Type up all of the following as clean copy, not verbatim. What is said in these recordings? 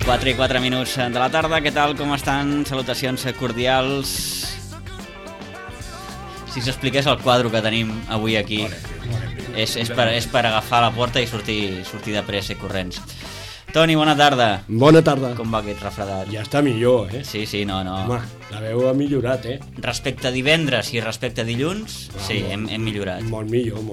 4 i 4 minuts de la tarda, què tal, com estan? Salutacions cordials. Si s'expliqués el quadre que tenim avui aquí, és per agafar la porta i sortir de pressa i corrents. Toni, bona tarda. Bona tarda. Com va aquest refredat? Ja està millor, Sí, no. Home, la veu ha millorat, Respecte a divendres i respecte a dilluns, sí, hem millorat. Molt millor.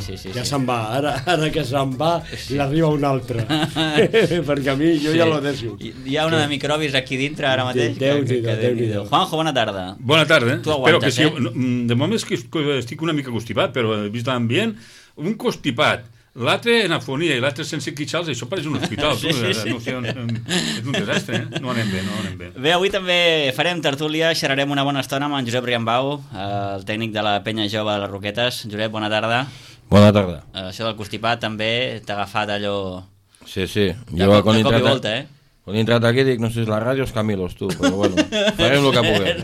Sí. Ja se'n va, ara que se'n va, n'arriba un altre. Perquè a mi, jo ja lo deixo. Hi ha una de microbis aquí dintre ara mateix. Déu-n'hi-do. Juanjo, bona tarda. Bona tarda. Tu aguantes, Espero que sí. De moment és que estic una mica constipat, però he vist l'ambient, un constipat. L'altre en afonia i l'altre sense quitxals, això pareix un hospital. Sí. No sé, és un desastre, No anem bé. Bé, avui també farem tertúlia, xerrarem una bona estona amb en Josep Riambau, el tècnic de la penya jove de les Roquetes. Josep, bona tarda. Bona tarda. Això del constipat també t'ha agafat allò... Sí. De cop i volta, Quan he entrat aquí dic, no sé si és la ràdio o és Camilos, tu, però bueno, farem el que puguem.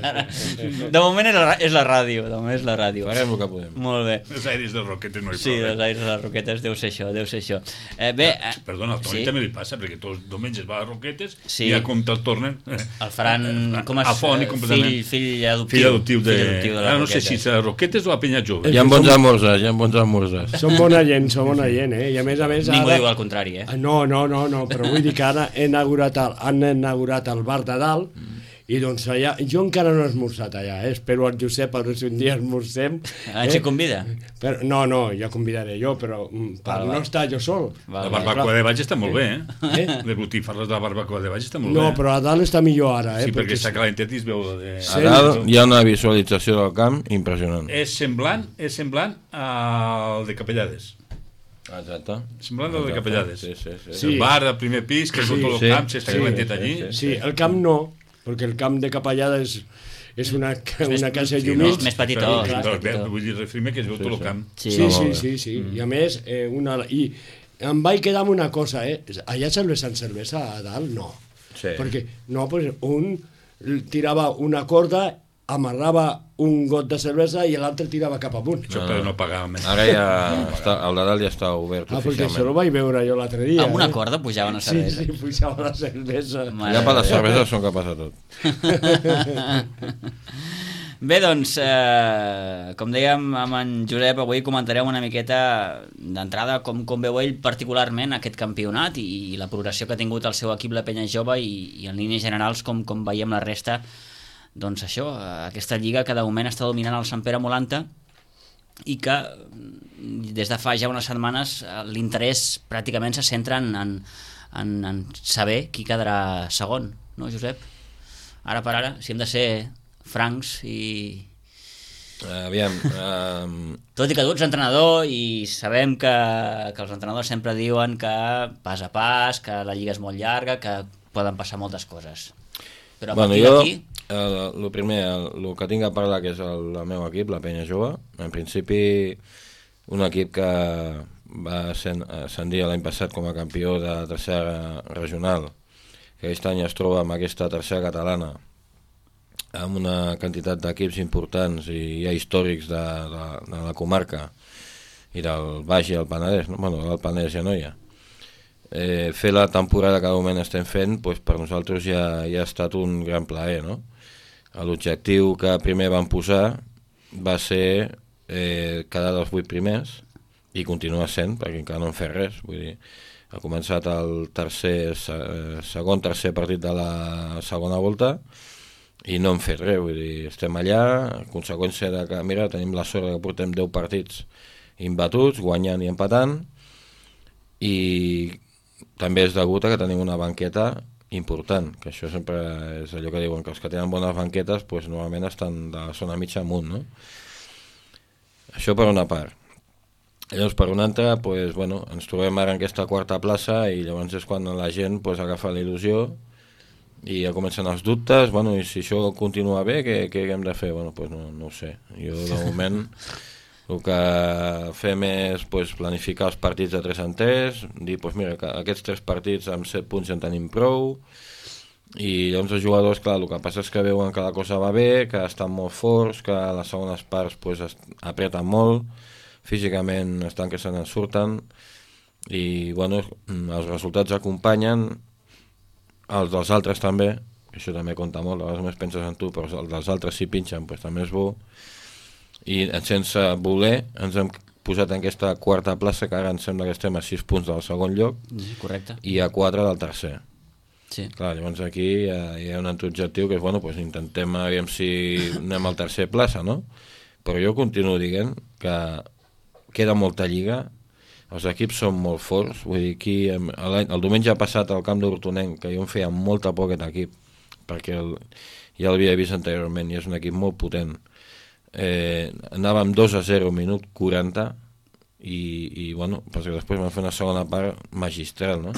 De moment és la ràdio, Farem el que puguem. Molt bé. Els aires dels Roquetes no hi Sí, els aires de les Roquetes, deu ser això. Perdona, al Toni també li passa, perquè tots els diumenges va a les Roquetes sí. i a compte el tornen... El faran, com és? Fill adoptiu de les Roquetes. No sé si és a les Roquetes o a Penya Jove. Hi ha bons almorzars. Som bona gent, I a més... Ningú diu el contrari, No, però vull dir que ara han inaugurat el bar de dalt i doncs allà, jo encara no he esmorzat allà, espero al Josep a veure si un dia esmorzem. Ens hi convida? No, ja convidaré jo, però per no estar jo sol. La barbacoa de baix està molt bé, De botifarres de la barbacoa de baix està molt bé. No, però a dalt està millor ara, Sí, perquè està calentet i es veu... A dalt hi ha una visualització del camp impressionant. És semblant al de Capellades. Exacte. Semblant al de Capellades. Sí. El bar del primer pis, que és tot el camp, està calentet allí. Sí, el camp no, perquè el camp de Capellada és una casa llumit. Més petitó. Vull dir, refirme que es veu tot el camp. Sí. I a més, i em vaig quedar amb una cosa, allà serveixen cervesa a dalt? No. Sí. Perquè un tirava una corda, amarrava un got de cervesa i l'altre tirava cap amunt. Això per no pagar més. Ara ja està, el de dalt ja està obert perquè oficialment. això ho vaig veure jo l'altre dia. Amb una corda pujaven a cervesa? Sí, pujava la cervesa. Ja per la cervesa són capaç de tot. Bé, doncs, com dèiem amb en Josep, avui comentarem una miqueta d'entrada com veu ell particularment aquest campionat i la progressió que ha tingut el seu equip, la Penya Jove, i en línies generals com veiem la resta. Doncs això, aquesta lliga que de moment està dominant el Sant Pere Molanta i que des de fa ja unes setmanes l'interès pràcticament se centra en saber qui quedarà segon, no, Josep? Ara per ara, si hem de ser francs i... Aviam... Tot i que tu ets entrenador i sabem que els entrenadors sempre diuen que pas a pas, que la lliga és molt llarga, que poden passar moltes coses. Però a partir d'aquí... El primer, el que tinc a parlar, que és el meu equip, la Penya Jove, en principi un equip que va ascendir l'any passat com a campió de tercera regional, que aquest any es troba amb aquesta tercera catalana, amb una quantitat d'equips importants i ja històrics de la comarca i del Baix i el Penedès, del Penedès ja no hi ha. Fer la temporada que de moment estem fent, per nosaltres ja ha estat un gran plaer, no? L'objectiu que primer vam posar va ser quedar dels 8 primers i continua sent, perquè encara no hem fet res. Vull dir, ha començat el tercer partit de la segona volta i no hem fet res. Vull dir, estem allà, a conseqüència de que, mira, tenim la sort que portem 10 partits imbatuts, guanyant i empatant, i també és degut a que tenim una banqueta important, que això sempre és allò que diuen, que els que tenen bones banquetes normalment estan de la zona mitja amunt, no? Això per una part. Llavors per una altra, ens trobem ara en aquesta quarta plaça i llavors és quan la gent agafa la il·lusió i ja comencen els dubtes, i si això continua bé, què hem de fer? No ho sé. Jo de moment el que fem és planificar els partits de 3 en 3, dir, mira, que aquests 3 partits amb 7 punts ja en tenim prou, i llavors els jugadors, clar, el que passa és que veuen que la cosa va bé, que estan molt forts, que a les segones parts apreten molt, físicament estan que se n'en surten, i els resultats acompanyen els dels altres també, això també compta molt, a vegades només penses en tu, però els dels altres si pinxen doncs també és bo, i sense voler ens hem posat en aquesta quarta plaça, que ara ens sembla que estem a 6 punts del segon lloc, Correcte. i a 4 del tercer. Sí. Clar, llavors aquí hi ha un altre objectiu que és, bueno, doncs intentem aviam si anem al tercer plaça, no? Però jo continuo dient que queda molta lliga, els equips són molt forts, vull dir, aquí el diumenge passat al camp d'Hortonenc, que jo em feia molta por aquest equip, perquè ja l'havia vist anteriorment i és un equip molt potent, anàvem 2-0 minut 40 i bueno, perquè després vam fer una segona part magistral, no?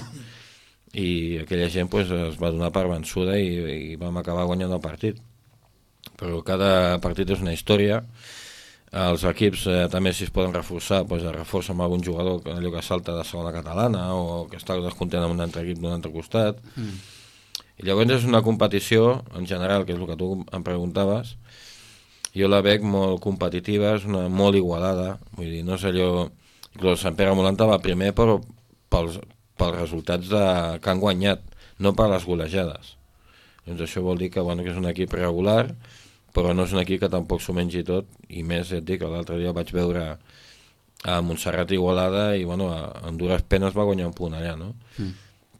I aquella gent pues, es va donar per vençuda i vam acabar guanyant el partit, però cada partit és una història. Els equips també, si es poden reforçar, pues, es reforça amb algun jugador allò que salta de segona catalana o que està descontent amb un altre equip d'un altre costat. I llavors és una competició en general, que és el que tu em preguntaves, jo la veig molt competitiva, és molt igualada, vull dir, no és allò... El Sant Pere Molanta va primer però pels resultats que han guanyat, no per les golejades. Doncs això vol dir que, bueno, que és un equip regular, però no és un equip que tampoc s'ho mengi tot, i més et dic que l'altre dia vaig veure a Montserrat Igualada i bueno, a dures penes va guanyar un punt allà, no?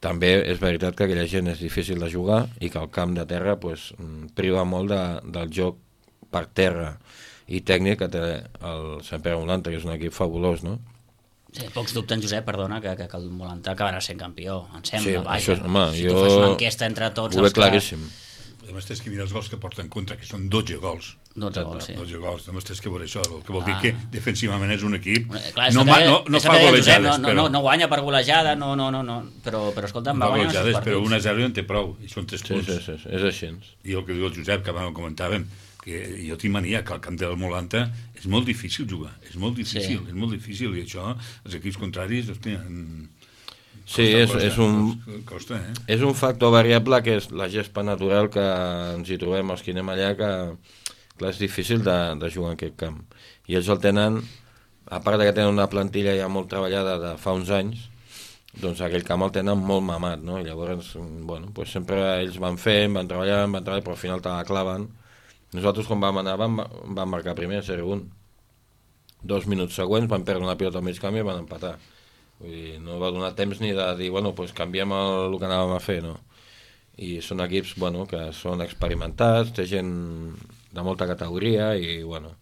També és veritat que aquella gent és difícil de jugar i que el camp de terra pues, priva molt del joc per terra i tècnic que té el Sant Pere Molanta, que és un equip fabulós, no? Sí, pocs dubten, Josep, perdona, que el Molantà acabarà sent campió, em sembla. Sí, vaja. això, home, si jo tu fas una enquesta entre tots ho veig claríssim. Només tens que mirar els gols que porten en contra, que són 12 gols. 12 gols, sí. 12 gols, només tens que veure això, el que vol dir que defensivament és un equip... Clar, no fa golejades, però... No guanya per golejada, no, però escolta'm, va guanyar els partits. Però 1-0 ja en té prou, i són 3 punts. Sí, és així. I el que diu el Josep, que abans ho comentàvem, que jo tinc mania que al camp del Molanta és molt difícil jugar, és molt difícil, i això, els equips contraris, hòstia... Sí, costa, és un factor variable que és la gespa natural que ens hi trobem els que anem allà, que clar, és difícil de jugar en aquest camp. I ells el tenen, a part que tenen una plantilla ja molt treballada de fa uns anys, doncs aquell camp el tenen molt mamat, no? I llavors, bueno, pues sempre ells van fent, van treballant, però al final te la claven. Nosaltres quan vam anar vam marcar primer 0-1. 2 minuts següents van perdre una pilota al mig camp i van empatar. Vull dir, no va donar temps ni de dir, bueno, pues canviem el que anàvem a fer, no? I són equips, bueno, que són experimentats, té gent de molta categoria i, bueno,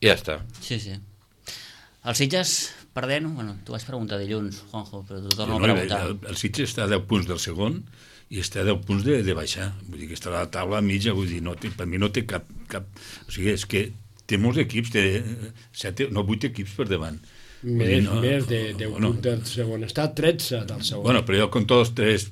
i ja està. Sí. Els Sitges perdent, bueno, tu vas preguntar dilluns, Juanjo, però tu torno a preguntar. El Sitges està a 10 punts del segon i està a 10 punts de baixar. Vull dir que està a la taula mitja, vull dir, per mi no té cap... O sigui, és que té molts equips, té 8 equips per davant. Més de 10 punts del segon. Està a 13 del segon. Bueno, però jo compto els 3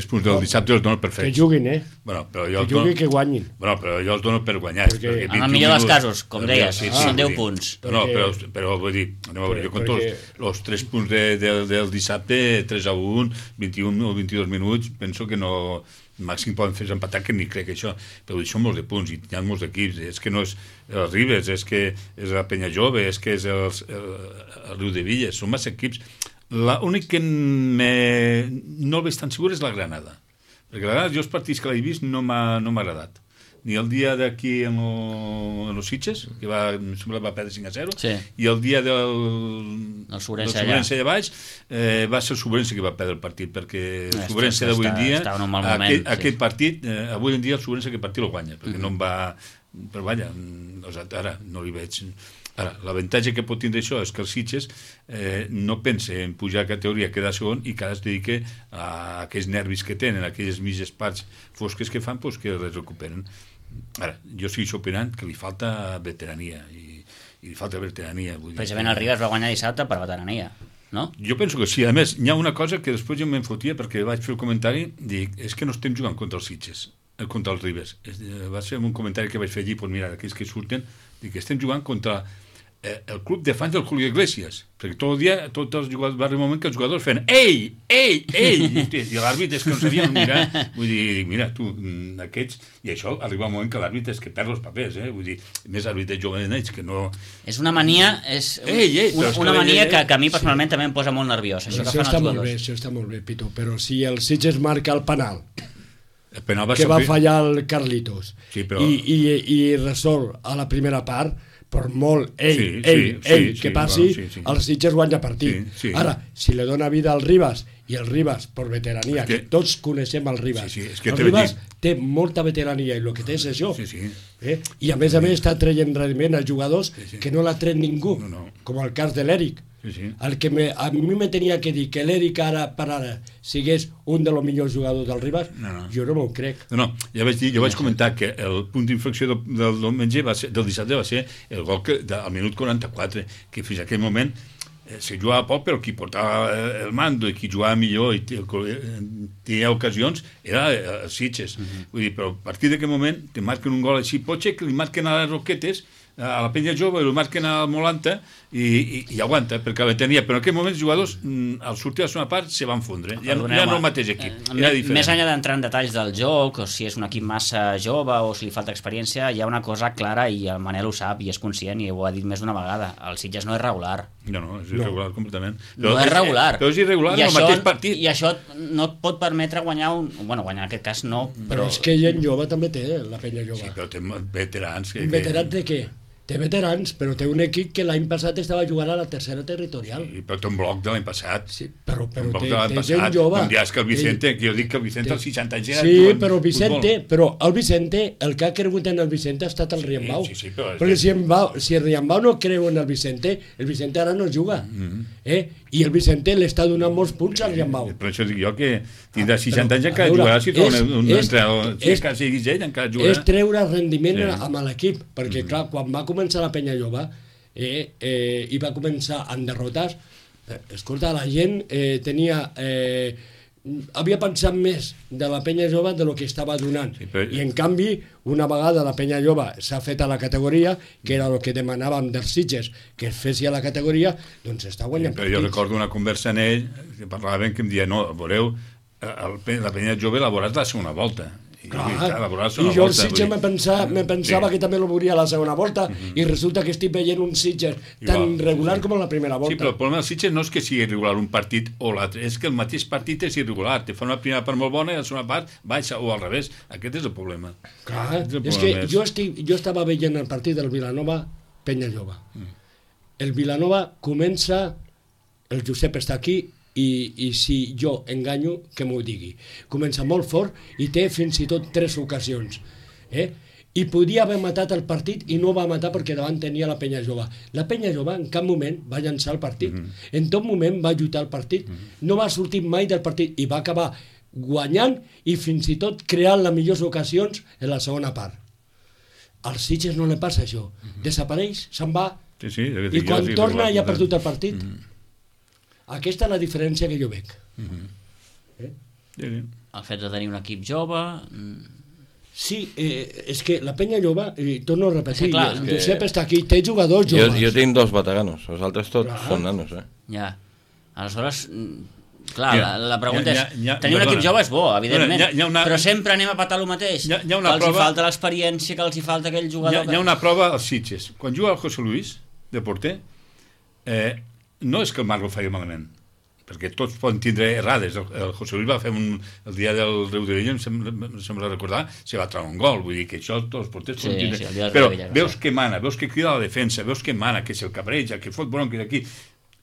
punts del dissabte els dono per fets. Que juguin, Bueno, però jo que juguin, que guanyin. Bueno, però jo els dono per guanyar. En el millor dels casos, com deies, són 10 punts. No, però vull dir, anem a veure, jo compto els 3 punts del dissabte, 3-1, 21 o 22 minuts, penso que no... màxim poden fer empatar, que ni crec això, però són molts de punts i hi ha molts equips, és que no és el Ribes, és que és la Penya Jove, és que és el Riu de Villes, són massa equips. L'únic que no el veig tan segur és la Granada, perquè la Granada, jo els partits que l'he vist no m'ha agradat, ni el dia d'aquí en los Sitges, que va perdre 5-0, sí. I el dia del Sobrense allà baix va ser el Sobrense que va perdre el partit, perquè el Sobrense d'avui en dia aquest partit, avui en dia el Sobrense aquest partit el guanya, perquè no em va... però vaja, ara no li veig... Ara, l'avantatge que pot tindre això és que els Sitges no pense en pujar a categoria, quedar segon, i que ara es dedica a aquells nervis que tenen, aquelles mitges parts fosques que fan, doncs que les recuperen. Ara, jo estic opinant que li falta veterania, i li falta veterania. Precisament el Ribes va guanyar dissabte per veterania, no? Jo penso que sí. A més, hi ha una cosa que després jo m'enfotia, perquè vaig fer el comentari, dic, és que no estem jugant contra els Sitges, contra els Ribes. Va ser un comentari que vaig fer allí, doncs mira, aquells que surten, dic, estem jugant contra el club de fans del Julio Iglesias, perquè tot el dia, tots els jugadors, va arribar un moment que els jugadors feien ei, i l'àrbit és que no sabien mirar, vull dir, mira, tu, aquests, i això arriba un moment que l'àrbit és que perd els papers, vull dir, més àrbit jove d'ells que no... És una mania, una mania que a mi personalment també em posa molt nerviós, això que fan els jugadors. Això està molt bé, Pitu, però si el Sitges marca el penal, que va fallar el Carlitos, sí, però... i resol a la primera part, per molt que passi, el Sitges guanya partit. Ara, si li dona vida al Ribas, i el Ribas, per veterania, que tots coneixem el Ribas, el Ribas té molta veterania, i el que té és això. I a més està traient rendiment a jugadors que no l'ha tret ningú, com el cas de l'Eric. El que a mi me tenia que dir que l'Eric ara per ara sigués un dels millors jugadors del Ribas, jo no m'ho crec. Jo vaig comentar que el punt d'inflexió del diumenge, del dissabte, va ser el gol al minut 44, que fins a aquell moment se jugava poc, però qui portava el mando i qui jugava millor i tenia ocasions era el Sitges. Vull dir, però a partir d'aquell moment te marquen un gol així, pot ser que li marquen a les Roquetes, a la penya jove, el marquen al Molanta i aguanta, perquè la tenia, però en aquell moment els jugadors al sortir a la segona part se van fondre, ja no el mateix equip, era diferent. Més enllà d'entrar en detalls del joc, o si és un equip massa jove o si li falta experiència, hi ha una cosa clara i el Manel ho sap i és conscient i ho ha dit més d'una vegada, el Sitges no és regular. No, és irregular completament. No és regular. Però és irregular en el mateix partit. I això no et pot permetre guanyar guanyar en aquest cas no. Però és que gent jove també té, la penya jove. Sí, però té veterans. Veterans de què? Té veterans, però té un equip que l'any passat estava jugant a la tercera territorial. Sí, però té un bloc de l'any passat. Sí, però té gent jove. Un dia és que el Vicente, que jo dic que el Vicente als 60 anys era... Sí, però el Vicente, el que ha cregut en el Vicente ha estat el Riambau. Sí, però... Perquè si el Riambau no creu en el Vicente ara no juga. I el Vicente li està donant molts punts al Riambau. Per això dic jo que tindrà 60 anys encara jugarà, si troba un entrenador, si siguis ell encara jugarà. És treure rendiment amb l'equip, perquè clar, quan va començar la penya jove i va començar en derrotes, escolta, la gent havia pensat més de la penya jove de lo que estava donant, i en canvi una vegada la penya jove s'ha fet a la categoria, que era el que demanàvem dels Sitges, que es fessi a la categoria, doncs està guanyant partits. Jo recordo una conversa en ell que parlaven que em deia, no, veureu, la penya jove la veuràs la segona volta. I jo el Sitges me pensava que també el veuria a la segona volta, i resulta que estic veient un Sitges tan regular com a la primera volta. Sí, però el problema del Sitges no és que sigui irregular un partit o l'altre, és que el mateix partit és irregular, te fa una primera part molt bona i la segona part baixa, o al revés. Aquest és el problema. Clar, és que jo estava veient el partit del Vilanova Penya Jove. El Vilanova comença, el Josep està aquí, i si jo enganyo, que m'ho digui. Comença molt fort i té fins i tot 3 ocasions. I podia haver matat el partit i no va matar perquè davant tenia la penya jove. La penya jove en cap moment va llançar el partit. En tot moment va lluitar el partit. No va sortir mai del partit i va acabar guanyant i fins i tot creant les millors ocasions en la segona part. Als Sitges no li passa això. Desapareix, se'n va, i quan torna ja ha perdut el partit. Aquesta és la diferència que jo veig. El fet de tenir un equip jove... Sí, és que la penya jove, torno a repetir, el Josep està aquí, té jugadors joves. Jo tinc 2 veteranos, els altres tots són nanos. Ja, aleshores... Clar, la pregunta és, tenir un equip jove és bo, evidentment, però sempre anem a patar el mateix, que els hi falta l'experiència, que els hi falta aquell jugador... Hi ha una prova als Sitges. Quan juga el José Luis, de porter, no és que el Marc ho faci malament, perquè tots poden tindre errades. El José Luis va fer el dia del Riu de Vella, em sembla recordar, se va treure un gol, vull dir que això tots els porters poden tindre. Però veus que mana, veus que crida la defensa, veus que mana, que se'l cabreja, que fot bronques aquí,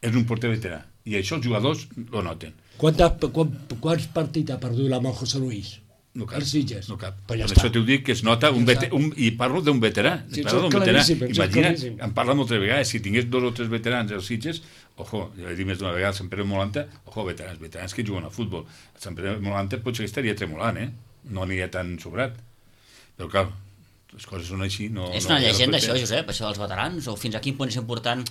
és un porter veterà, i això els jugadors lo noten. Quants partits ha perdut amb el José Luis? No cap. Els Sitges. No cap. Per això t'ho dic que es nota i parlo d'un veterà. Imagina, em parla moltes vegades, si tingués 2 o 3 veterans als Sitges, ojo, ja he dit més d'una vegada, Sant Pere Molanta, ojo, veterans que juguen a futbol. Sant Pere Molanta potser que estaria tremolant, no aniria tan sobrat. Però clar, les coses són així. És una llegenda això, Josep, això dels veterans, o fins a quin punt és important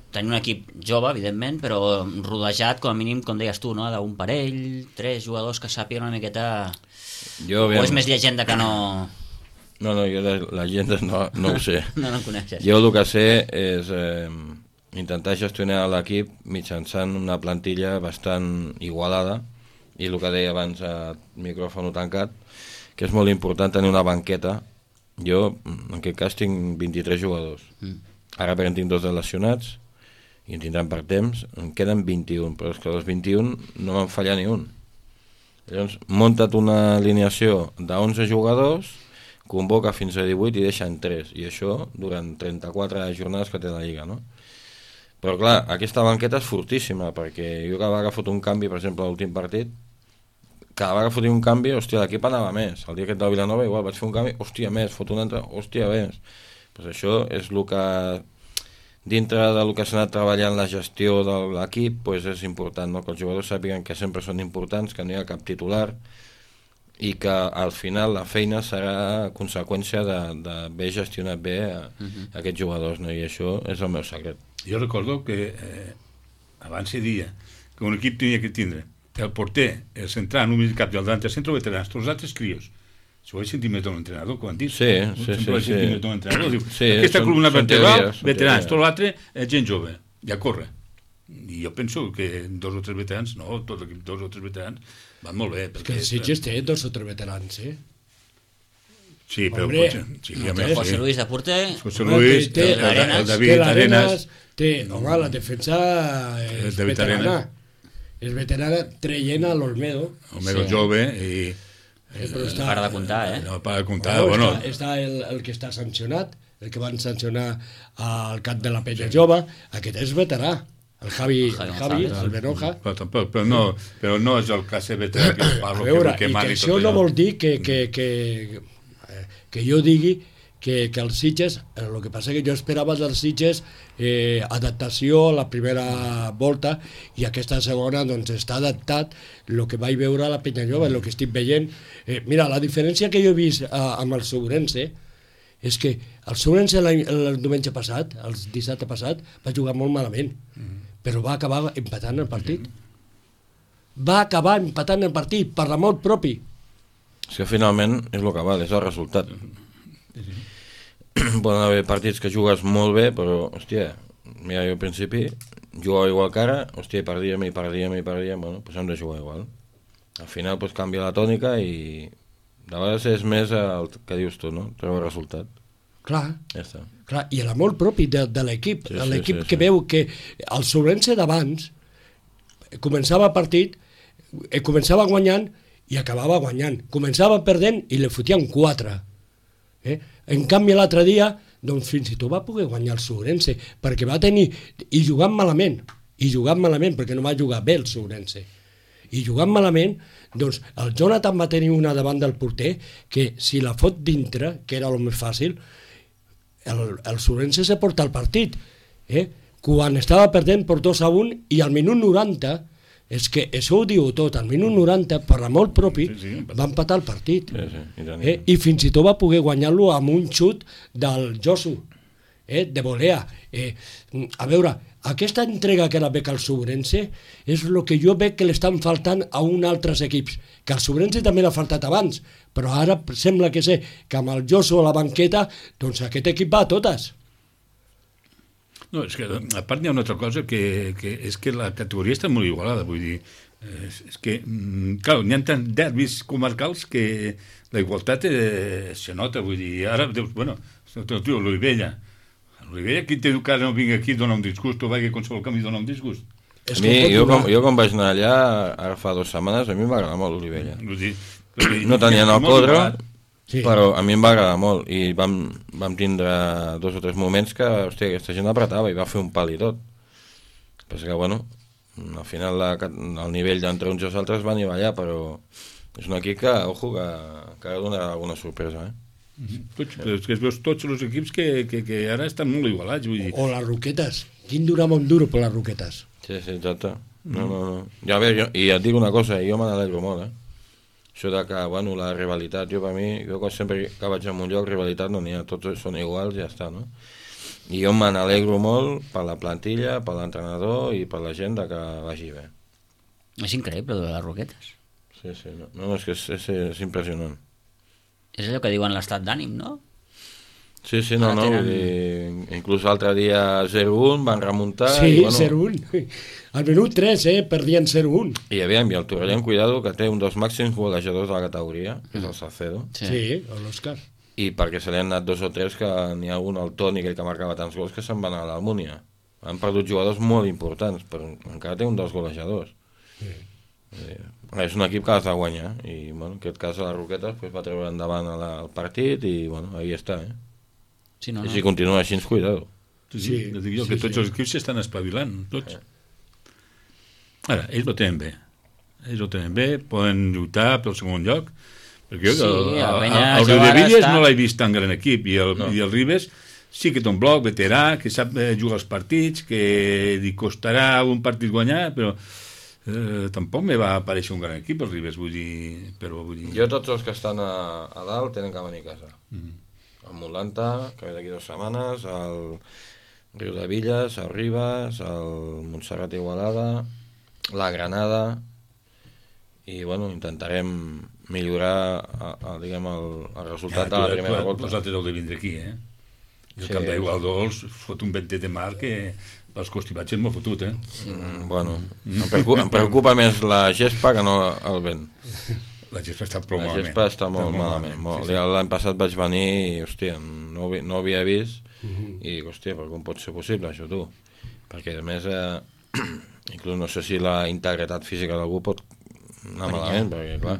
tenir un equip jove, evidentment, però rodejat, com a mínim, com deies tu, d'un parell, 3 jugadors que sàpiguen una miqueta... O és més llegenda que no... No, jo la gent no ho sé. No coneixes. Jo el que sé és intentar gestionar l'equip mitjançant una plantilla bastant igualada, i el que deia abans a micròfon tancat, que és molt important tenir una banqueta. Jo, en aquest cas, tinc 23 jugadors. Ara perquè en tinc 2 lesionats, i en tindran per temps, en queden 21, però és que dels 21 no me'n falla ni un. Llavors, munta't una alineació de 11 jugadors, convoca fins a 18 i deixen 3, i això durant 34 jornades que té la Lliga, no? Però clar, aquesta banqueta és fortíssima, perquè jo cada vegada que fot un canvi, per exemple, a l'últim partit, cada vegada que fotia un canvi, hòstia, l'equip anava més. El dia aquest del Vilanova igual vaig fer un canvi, hòstia, més, fot un altre, hòstia, més. Pues això és el que, dintre del que s'ha anat treballant la gestió de l'equip, pues és important, no? Que els jugadors sàpiguen que sempre són importants, que no hi ha cap titular, i que al final la feina serà conseqüència d'haver gestionat bé aquests jugadors, no? I això és el meu secret. Jo recordo que abans se dia que un equip tenia que tindre el porter, el central, un cap i el davant centre veterans, tots els altres crios. Això ho he sentit més d'un entrenador, que ho han dit. Sí. Més d'un entrenador. Diu, aquesta columna vertebral, veterans, tot l'altre és gent jove, ja corre. I jo penso que 2 o 3 veterans, no, tot l'equip 2 o 3 veterans van molt bé. És que el Sitges té 2 o 3 veterans, Sí, però José Luis de porter, José Luis, el David Arenas, home, la defensa és veterana. És veterana traient a l'Olmedo. Olmedo jove i... para de comptar, No, para de comptar, bueno. Està el que està sancionat, el que van sancionar al cap de la Penya Jove, aquest és veterà. El Javi, el Benoja. Però no és el cas de veterà que parlo. A veure, i que això no vol dir que jo digui que els Sitges, el que passa que jo esperava dels Sitges adaptació a la primera volta, i aquesta segona doncs està adaptat el que vaig veure a la Penya Jove, el que estic veient. Mira, la diferència que jo he vist amb el Segurense és que el Segurense el diumenge passat, el dissabte passat, va jugar molt malament, però va acabar empatant el partit. Va acabar empatant el partit per l'amor propi. És que finalment és el que val, és el resultat. Poden haver partits que jugues molt bé, però, hòstia, mira, jo al principi jugava igual que ara, hòstia, perdíem, bueno, doncs hem de jugar igual. Al final, doncs, canvia la tònica i de vegades és més el que dius tu, no? Treure el resultat. Clar, ja està. Clar, i l'amor propi de l'equip, l'equip que veu que el Sobrense d'abans començava el partit, començava guanyant i acabava guanyant. Començava perdent i li fotien 4. En canvi l'altre dia doncs fins i tot va poder guanyar el Segurense, perquè va tenir, i jugant malament perquè no va jugar bé el Segurense, i jugant malament, doncs el Jonathan va tenir una davant del porter que si la fot dintre, que era el més fàcil, el Segurense se porta el partit, quan estava perdent per 2-1 i al minut 90, és que això ho diu tot, al minut 90 per l'amor propi va empatar el partit, i fins i tot va poder guanyar-lo amb un xut del Josu, de volea. A veure, aquesta entrega que la bec al Segurense és el que jo veig que l'estan faltant a uns altres equips, que al Segurense també l'ha faltat abans, però ara sembla que sé que amb el Josu a la banqueta, doncs aquest equip va a totes. No, és que a part hi ha una altra cosa que és que la categoria està molt igualada, vull dir, és que, clar, n'hi ha tants derbis comarcals que la igualtat se nota, vull dir, ara, bueno, l'Olivella, qui té que no vingui aquí dona un disgust, o vagi a qualsevol canvi dona un disgust. Jo quan vaig anar allà, ara fa 2 setmanes, a mi m'agrada molt l'Olivella. No tenien el Codro, sí, però a mi em va agradar molt, i vam tindre 2 o 3 moments que, hòstia, aquesta gent apretava i va fer un pal i tot. Però és que, bueno, al final el nivell d'entre uns i els altres va anivellar, però és un equip que, ojo, que ha donat alguna sorpresa, Però és que es veus tots els equips que ara estan molt igualats, vull dir. O les Roquetes, quin durava un duro per les Roquetes. Sí, exacte. No. Ja, a veure, i et dic una cosa, jo me n'alegro molt, això de que, bueno, la rivalitat, jo sempre que vaig a un lloc, rivalitat no n'hi ha, tots són iguals, ja està, no? I jo me n'alegro molt per la plantilla, per l'entrenador i per la gent que vagi bé. És increïble, de les Roquetes. Sí, no, és que és impressionant. És allò que diuen l'estat d'ànim, no? Sí, no, vull dir, inclús l'altre dia 0-1 van remuntar. Sí, 0-1. Al minut 3, perdien 0-1. I aviam, i el Torrellano, cuidado, que té un dels màxims golejadors de la categoria, que és el Salcedo. Sí, l'Òscar. I perquè se li han anat 2 o 3 que n'hi ha un, el Toni, aquell que marcava tants gols, que se'n van a l'Almúnia. Han perdut jugadors molt importants, però encara té un dels golejadors. Sí. És un equip que has de guanyar, i bueno, en aquest cas a les Roquetes pues, va treure endavant el partit i bueno, ahí està, Sí, I si continua així, cuidado. Sí, dic jo que tots els equips s'estan espavilant, tots. Ara, ells ho tenen bé, poden lluitar pel segon lloc, perquè el Riudevilles no l'he vist tan gran equip, i el Ribes sí que té un bloc veterà, que sap jugar els partits, que li costarà un partit guanyar, però tampoc me va aparèixer un gran equip el Ribes, vull dir... Jo tots els que estan a dalt tenen que venir a casa. El Motlanta, que ve d'aquí 2 setmanes, el Riudevilles, el Ribes, el Montserrat Igualada, la Granada, i bueno, intentarem millorar diguem, el resultat de la primera volta. Vosaltres heu de vindre aquí, El camp d'Aigua Dols fot un ventet de mar que pels costivatges m'ho fotut, Bueno, em preocupa més la gespa que no el vent. La gespa està prou malament. La gespa està molt malament. L'any passat vaig venir i, hòstia, no ho havia vist i dic, hòstia, però com pot ser possible això, tu? Perquè, a més, inclús no sé si la integritat física d'algú pot anar malament, perquè, clar,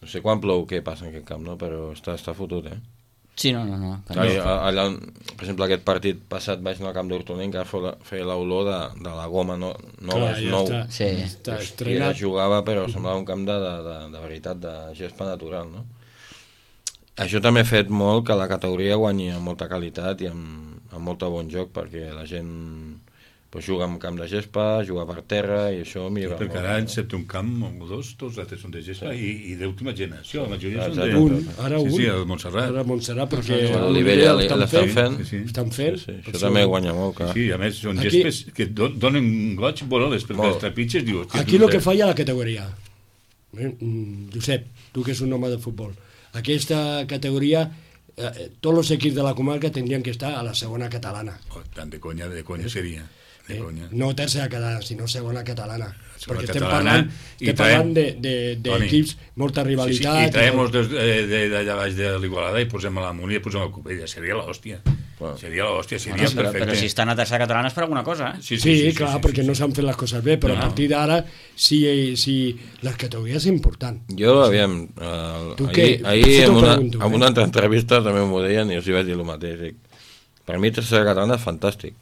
no sé quan plou què passa en aquest camp, no? Però està fotut, Sí, no. Allà, per exemple, aquest partit passat vaig anar al camp d'Hortonenc que feia l'olor de la goma nou. Està estrenat. I jugava, però semblava un camp de veritat, de gespa natural, no? Això també ha fet molt que la categoria guanyi amb molta qualitat i amb molt bon joc, perquè la gent juga en camp de gespa, juga per terra, i això millora molt. Perquè ara excepte un camp o dos, tots altres són de gespa i d'última generació, la majoria són de... Ara un. Sí, el Montserrat. Ara Montserrat, perquè l'Olivella l'estan fent. Estan fent. Això també guanya molt, clar. Sí, a més, són gespes que donen goig volar-les, perquè els trepitges dius... Aquí el que falla la categoria. Josep, tu que és un home de futbol, aquesta categoria... tots els equips de la comarca tindrien que estar a la segona catalana. Tant de conya seria. No tercera catalana, sinó segona catalana. Perquè estem parlant d'equips, molta rivalitat. I traiem d'allà baix de l'Igualada i posem a la Múnia i posem a Cubella. Seria l'hòstia. Seria perfecte. Però si estan a tercera catalana és per alguna cosa, Sí, clar, perquè no s'han fet les coses bé, però a partir d'ara sí, les categories és important. Jo, aviam, ahir en una altra entrevista també m'ho deien i els hi vaig dir el mateix. Per mi tercera catalana és fantàstic,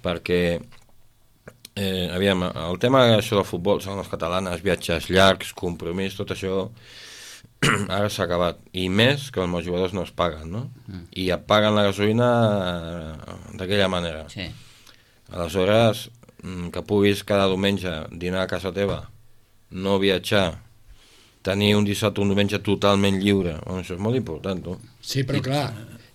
perquè aviam, el tema això del futbol, són les catalanes, viatges llargs, compromís, tot això ara s'ha acabat, i més que els jugadors no es paguen, no? I et paguen la gasolina d'aquella manera. Aleshores, que puguis cada diumenge dinar a casa teva, no viatjar, tenir un dissabte o un diumenge totalment lliure, això és molt important, tu. Sí, però clar,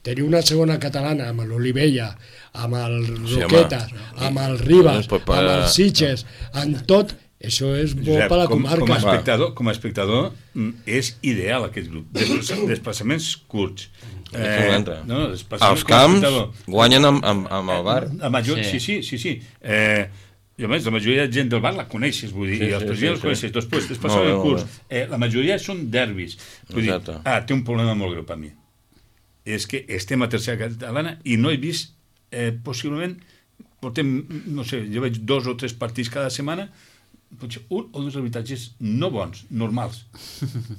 tenir una segona catalana amb l'Olivella, amb el Roquetes, amb el Ribas, amb els Sitges, amb tot, això és bo per la comarca. Com a espectador és ideal aquest grup. Desplaçaments curts. Els camps guanyen amb el bar. Sí. I a més, la majoria de gent del bar la coneixes, vull dir, i els presidents els coneixes. Després, desplaçaments curts. La majoria són derbis. Vull dir, té un problema molt greu per mi. És que estem a tercera catalana i no he vist, possiblement, portem, no sé, jo veig 2 o 3 partits cada setmana, potser un o 2 arbitratges no bons, normals.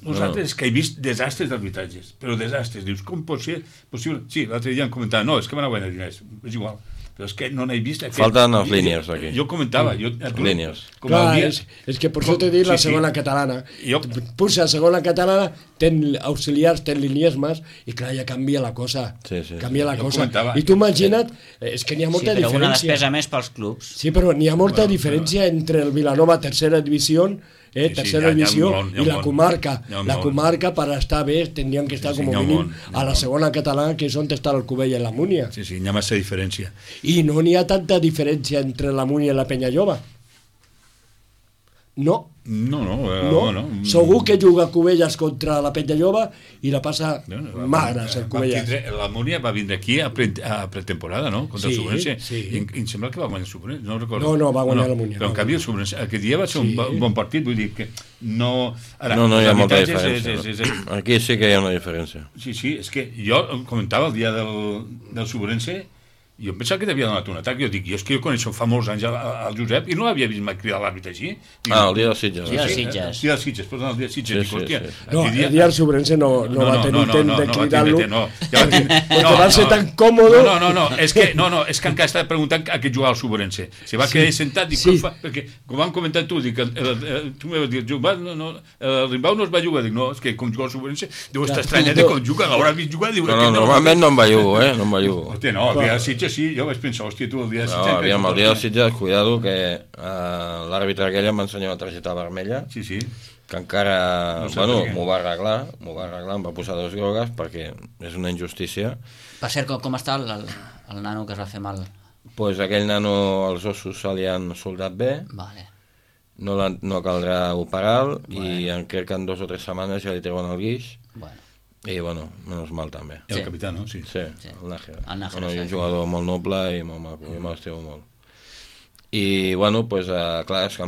Els altres que he vist desastres d'arbitratges, però desastres. Dius, com pot ser possible? Sí, l'altre dia em comentava, no, és que van a guanyar diners, és igual. Però és que no n'he vist... Falten els línies, aquí. Jo comentava... Línies. Clar, és que per això t'he dit la segona catalana. Puja segona catalana, ten auxiliars, ten liniesmes, i clar, ja canvia la cosa. Canvia la cosa. I tu imagina't, és que n'hi ha molta diferència. Sí, però una despesa més pels clubs. Sí, però n'hi ha molta diferència entre el Vilanova tercera divisió tercera divisió i la comarca. La comarca, per estar bé, tindrien que estar com a mínim a la segona catalana, que és on està el Cubella i la Múnia. Sí, n'hi ha massa diferència. I no n'hi ha tanta diferència entre la Múnia i la Penyajove. No. No. Segur que juga Cubelles contra la Penya Jove i la passa magres, el Cubelles. La Múnia va vindre aquí a pretemporada, no? Contra el Subrense. Sí. I em sembla que va guanyar el Subrense, no recordo. No, va guanyar la Múnia. Però en canvi el Subrense, aquest dia va ser un bon partit, vull dir que no... Ara, no hi ha molta diferència. Aquí sí que hi ha una diferència. Sí, és que jo comentava el dia del Subrense, jo em pensava que t'havia donat un atac, és que jo coneixo fa molts anys al Josep i no l'havia vist mai cridar l'àrbitre així. El dia dels Sitges. El dia dels Sitges, perdó, el dia dels Sitges. No, el dia del Subrense no va tenir intent de cridar-lo, perquè va ser tan còmode. No, és que encara estava preguntant a què jugava el Subrense. Se va quedar sentat, perquè com vam comentar tu, tu m'has dit, el Rimbau no es va jugar, dic, no, és que com juga el Subrense, deu estar estranyat de com juga, l'haurà vist jugar, diu... No, normalment no em va jugar, no em va jugar. Hòstia, no, el dia dels Sitges sí, jo vaig pensar, hòstia, tu el dia dels Sitges... No, aviam, el dia dels Sitges, cuidado, que l'àrbitre aquell em va ensenyar una targeta vermella, sí. Que encara, m'ho va arreglar, em va posar 2 grogues, perquè és una injustícia. Per cert, com està el nano que es va fer mal? Pues aquell nano, els ossos se li han soldat bé, vale. No caldrà operar-lo, i crec que en 2 o 3 setmanes ja li treuen el guix. I, menys mal també. El capità, no? Sí, el Nájera. És un jugador molt noble i molt maco, jo m'estimo molt. I, clar, és que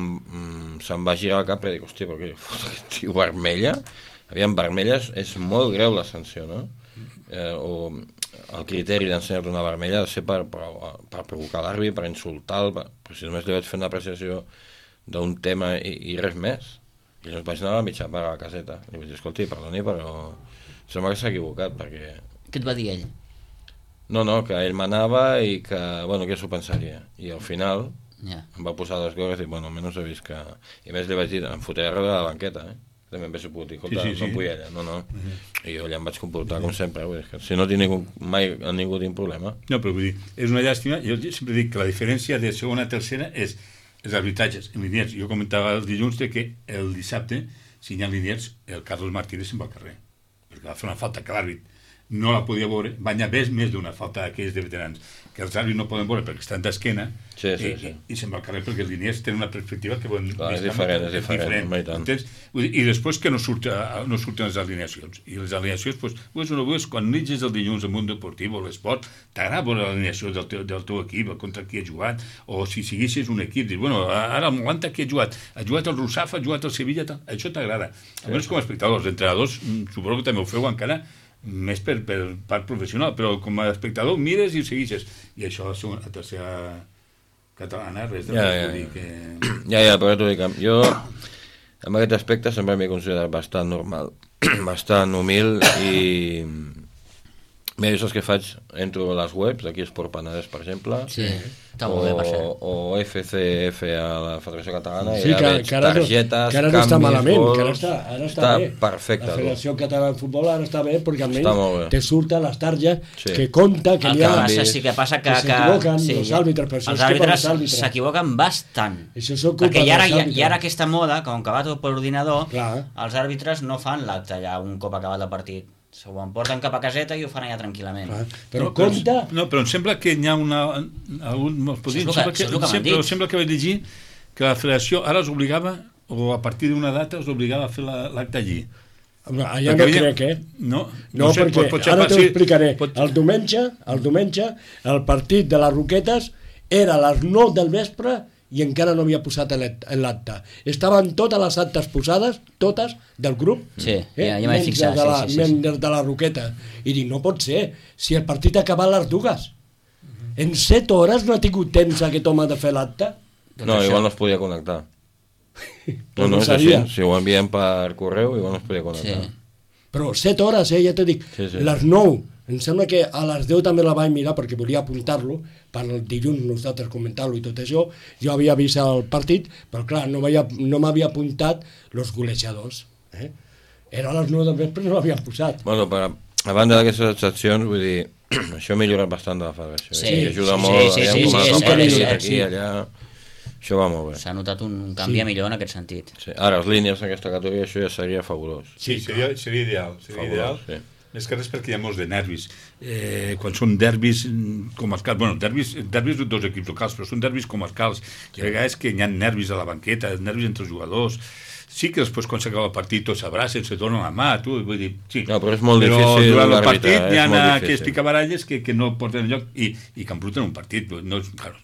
se'm va girar el cap i dic, hòstia, però què fot aquest tio vermella? Aviam, vermella és molt greu la sanció, no? O el criteri d'ensenyar-te una vermella ha de ser per provocar l'àrbitre, per insultar-lo, però si només li vaig fer una apreciació d'un tema i res més. I llavors vaig anar a la mitja part a la caseta. I vaig dir, escolti, perdoni, però... Sembla que s'ha equivocat, perquè... Què et va dir ell? No, que ell manava i que, que s'ho pensaria. I al final em va posar 2 grogues i, almenys he vist que... I més li vaig dir, em fotré darrere de la banqueta, També em vaig pogut dir, escolta, no punyella, no. I jo ja em vaig comportar com sempre, que si no tinc mai a ningú tinc problema. No, però vull dir, és una llàstima, jo sempre dic que la diferència de segona a tercera és els arbitratges en Liniers. Jo comentava el dilluns que el dissabte, si hi ha Liniers, el Carlos Martínez se'n va al carrer, perquè va fer una falta que l'àrbit no la podia veure, va anar més d'una falta d'aquells de veterans, que els àrbits no poden veure perquè estan d'esquena, i se'n va al carrer perquè els Liniers tenen una perspectiva que és diferent. I després que no surten les alineacions, i les alineacions, quan nitges el dilluns al món deportiu o l'esport, t'agrada veure l'alineació del teu equip, contra qui ha jugat, o si siguessis un equip, dius, ara el Molanta qui ha jugat el Rusafa, ha jugat el Sevilla, això t'agrada. Almenys com a espectadors, els entrenadors suposo que també ho feu encara més per part professional, però com a espectador mires i ho segueixes, i això a tercera catalana res de dir que... Ja, però t'ho dic, jo en aquest aspecte sempre m'he considerat bastant normal, bastant humil, i mira, això és que faig, entro a les webs, aquí Esport Penedès, per exemple, o FCF a la Federació Catalana, i ja veig targetes, que ara no està malament, que ara està bé. Perfecte. La Federació Catalana de Futbol ara està bé, perquè almenys te surten les targes que compta, que hi ha... Sí que passa que s'equivoquen els àrbitres, els àrbitres s'equivoquen bastant. Perquè i ara aquesta moda, com que va tot per ordinador, els àrbitres no fan l'acte allà un cop acabat el partit. S'ho emporten cap a caseta i ho fan allà tranquil·lament. Però compte... No, però em sembla que hi ha sembla que vaig llegir que la federació ara els obligava, o a partir d'una data els obligava a fer l'acte allí. Allà no crec, No, perquè ara t'ho explicaré. El diumenge, el partit de les Roquetes era a les 9 del vespre i encara no havia posat l'acte. Estaven totes les actes posades, totes, del grup, ja m'he fixat, menys de la Roqueta. I dic, no pot ser, si el partit ha acabat a les 2. En 7 hores no ha tingut temps aquest home de fer l'acte? No, igual no es podia connectar. No és així, si ho enviem per correu, igual no es podia connectar. Però 7 hores, ja t'ho dic, les 9. Em sembla que a les 10 també la vaig mirar perquè volia apuntar-lo, per el dilluns nosaltres comentar-lo i tot això. Jo havia vist el partit, però clar, no m'havia apuntat els golejadors. Era a les 9 del vespre i no l'havien posat. Bueno, a banda d'aquestes excepcions, vull dir, això ha millorat bastant de la federació. Sí, ajuda molt, aquí, allà... Això va molt bé. S'ha notat un canvi a millor en aquest sentit. Ara, les línies en aquesta categoria, això ja seria fabulós. Sí, seria ideal. Seria ideal. Més que res perquè hi ha molts de nervis. Quan són derbis comarcals, bueno, derbis de dos equips locals, però són derbis comarcals. Hi ha vegades que hi ha nervis a la banqueta, nervis entre els jugadors. Sí que després quan s'acaba el partit tots s'abracen, se donen la mà, vull dir, sí. No, però és molt difícil durant el partit hi ha aquests picabaralles que no porten enlloc i que embruten un partit. No, claro,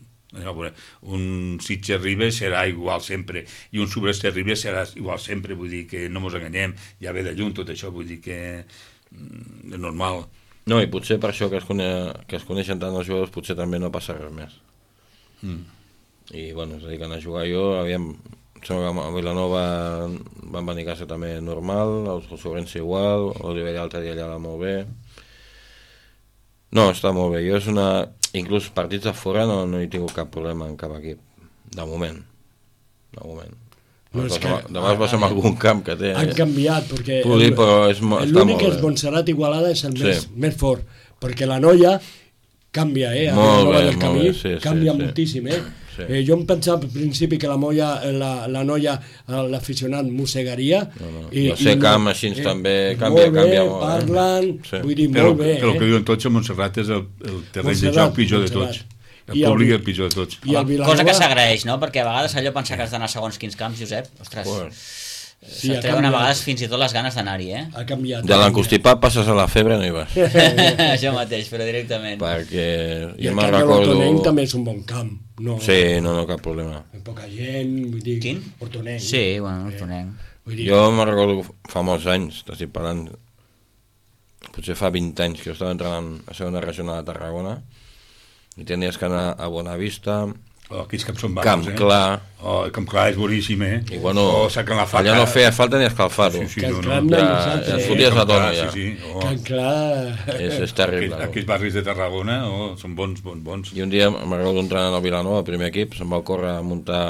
un Sitges Ribes serà igual sempre i un Subirats Ribes serà igual sempre, vull dir que no mos enganyem, ja ve de lluny tot això, vull dir que és normal. No, i potser per això que es coneixen tant els jugadors potser també no passa res més. I bueno, es dediquen a jugar. Jo aviam, sembla que a Vilanova van venir a casa també normal, els Sobrense igual, l'Oliver l'altre dia allà molt bé. No, està molt bé. Jo inclús partits de fora no he tingut cap problema en cap equip, de moment. Demà es passa en algun camp que té... Han canviat, perquè l'únic que és Montserrat Igualada és el més fort, perquè la noia canvia, molt bé, canvia moltíssim, jo em pensava al principi que la noia, l'aficionat mossegaria. La sé camp així també canvia molt. Parlen, vull dir, molt bé. Però el que diuen tots, Montserrat és el terreny de joc pitjor de tots. El públic és el pitjor de tots. Cosa que s'agraeix, no? Perquè a vegades allò pensar que has d'anar segons quins camps, Josep, ostres, se't treuen a vegades fins i tot les ganes d'anar-hi, Ha canviat. De l'encostipat passes a la febre no hi vas. Això mateix, però directament. Perquè jo me'n recordo... Hortonenc també és un bon camp. Sí, no, cap problema. Poca gent, vull dir... Quin? Hortonenc. Sí, bueno, Hortonenc. Jo me'n recordo fa molts anys, t'estic parlant, potser fa 20 anys que jo estava entrant a segona regional de Tarragona i tenies que anar a Bonavista, aquells camps són Camp Clar. Camp Clar és boníssim, I bueno, allà no feia falta ni escalfar-ho. Camp Clar ja foties la dona, ja. Camp Clar... És terrible. Aquells barris de Tarragona són bons. I un dia me'n recordo entrenant al Vilanova, el primer equip, se'm va ocórrer a muntar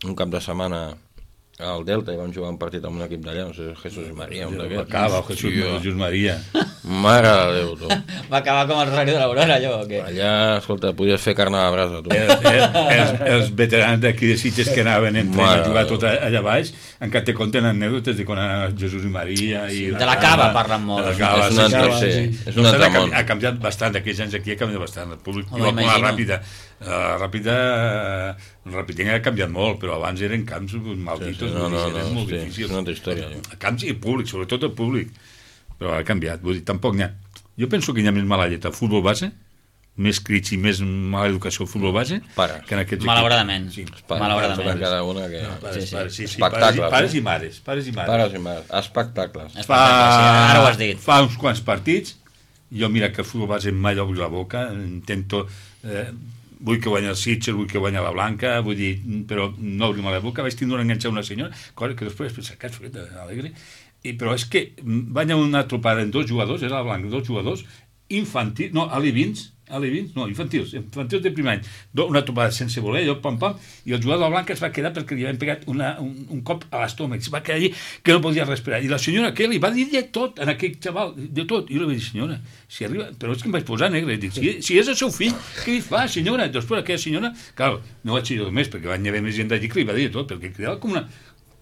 un cap de setmana al Delta i vam jugar un partit amb un equip d'allà, no sé, Jesús i Maria, un d'aquests. Jesús Maria. Mare de Déu, tu. Va acabar com el Rosario de l'Aurora, allò, o què? Allà, escolta, podies fer carn a la brasa, tu. Els veterans d'aquí de Sitges que anaven a jugar tot allà baix, encara te conten anècdotes de quan anava Jesús i Maria. De la Cava parlen molt. És un altre món. Ha canviat bastant, aquells anys aquí ha canviat bastant. El públic, igual com la Ràpida. El Rapideng ha canviat molt, però abans eren camps malditos, eren molt difícils. És una altra història. Camps i públic, sobretot el públic. Però ha canviat, vull dir, tampoc n'hi ha. Jo penso que hi ha més mala llet al futbol base, més crits i més mala educació al futbol base, que en aquests malauradament. equips. Malauradament. Cada una que... Pares i mares. Espectacles. Ara ho has dit. Fa uns quants partits, jo mira que el futbol base mai obri la boca, intento... vull que guanya el Sitges, vull que guanya la Blanca, vull dir, però no obrim la boca, vaig tindre enganxar una senyora, cosa que després pensa que és fred, alegre, però és que va anar una tropada en 2 jugadors, era la Blanca, 2 jugadors, infantils, no, alevins, infantils de primer any, una tropada sense voler, allò, pam, i el jugador de la Blanca es va quedar perquè li havien pegat un cop a l'estómac, es va quedar allí que no podia respirar, i la senyora que li va dir de tot en aquell xaval, de tot, i jo li vaig dir, senyora, si arriba, però és que em vaig posar negre, dic, si és el seu fill, què li fa, senyora? Després aquella senyora, clar, no vaig dir més, perquè van haver més gent d'allí que li va dir tot, perquè cridava com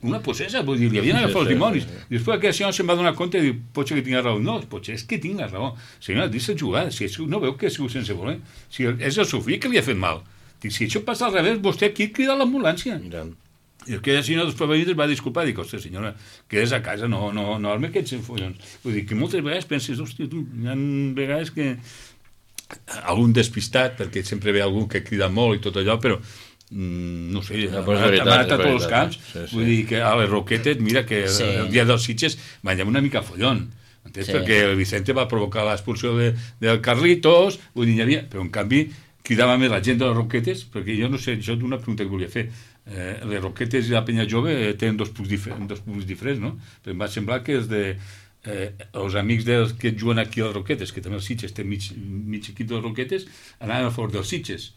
una possessa, vull dir, li havien agafat els dimonis. I després aquella senyora se'n va donar compte i diu, potser que tinc la raó. No, potser és que tinc la raó. Senyora, deixa jugar, si no veu que ha sigut sense voler. Si és el seu fill que li ha fet mal. Dic, si això passa al revés, vostè aquí crida l'ambulància. I aquella senyora després es va disculpar, dic, ostres, senyora, quedes a casa, no arme aquests enfollons. Vull dir, que moltes vegades penses, hòstia, tu, hi ha vegades que algun despistat, perquè sempre ve algú que crida molt i tot allò, però no sé, ha anat a tots els camps, vull dir que a les Roquetes, mira que el dia dels Sitges va anar una mica follon, perquè el Vicente va provocar l'expulsió del Carlitos, vull dir, hi havia, però en canvi cridava més la gent de les Roquetes, perquè jo no sé, això és una pregunta que volia fer, les Roquetes i la Penya Jove tenen dos públics diferents, no? Però em va semblar que els amics dels que juguen aquí a les Roquetes, que també els Sitges té mig equip de les Roquetes, anaven a favor dels Sitges.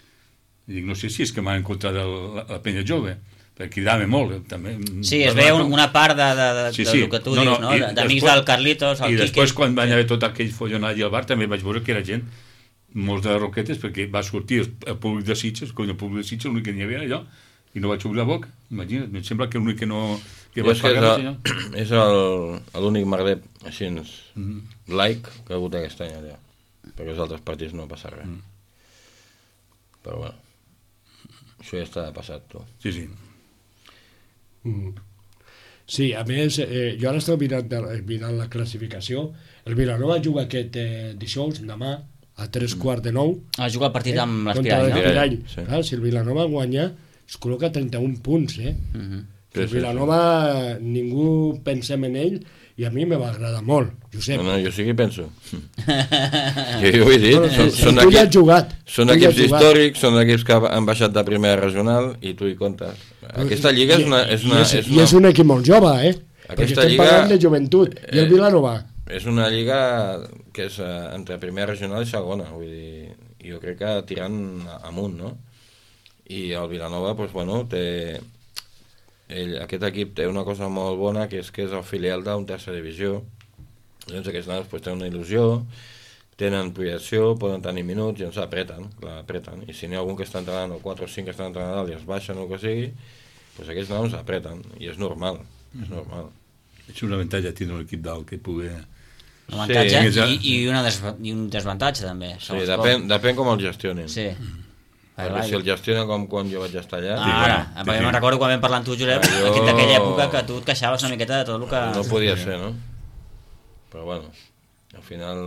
I dic, no sé si és que m'han encontrat la Penya Jove, perquè cridava molt. També. Sí, es veia una part del que tu dius, no? D'amics del Carlitos, el Quique. I després, quan va haver tot aquell follonat i al bar, també vaig veure que era gent, molts de les Roquetes, perquè va sortir el públic de Sitges, el públic de Sitges, l'únic que n'hi havia allò, i no vaig obrir la boca. Imagina't, em sembla que l'únic que no És l'únic merder així laic que ha hagut aquest any allà, perquè els altres partits no passa res. Però bueno, això ja està passat, tu. Sí. Sí, a més, jo ara estic mirant la classificació. El Vilanova juga aquest dijous, demà, a 8:45. Juga el partit amb l'Espirall, l'Espirall, no? Sí. Clar, si el Vilanova guanya, es col·loca 31 punts, El Vilanova, ningú pensem en ell, i a mi me va agradar molt, Josep. No, jo sí que penso. jo ho he dit. Tu ja has jugat. Són equips històrics, són equips que han baixat de primera regional i tu hi comptes. Aquesta lliga és un equip molt jove, perquè estem parlant de joventut. I el Vilanova? És una lliga que és entre primera regional i segona, vull dir, jo crec que tirant amunt, no? I el Vilanova, doncs, bueno, aquest equip té una cosa molt bona, que és el filial d'un tercera divisió. Llavors aquests nanos tenen una il·lusió, tenen projecció, poden tenir minuts i ens apreten. I si n'hi ha algun que està entrenant, o 4 o 5 que estan entrenant dalt i es baixen o el que sigui, doncs aquests nanos apreten, i és normal. És un avantatge tindre un equip dalt que pugui... Un avantatge i un desvantatge també. Sí, depèn com el gestionin. Sí. Perquè si el gestiona com quan jo vaig estar allà... Perquè me'n recordo quan vam parlar amb tu, Josep, d'aquella època que tu et queixaves una miqueta de tot el que... No podia ser, no? Però bueno, al final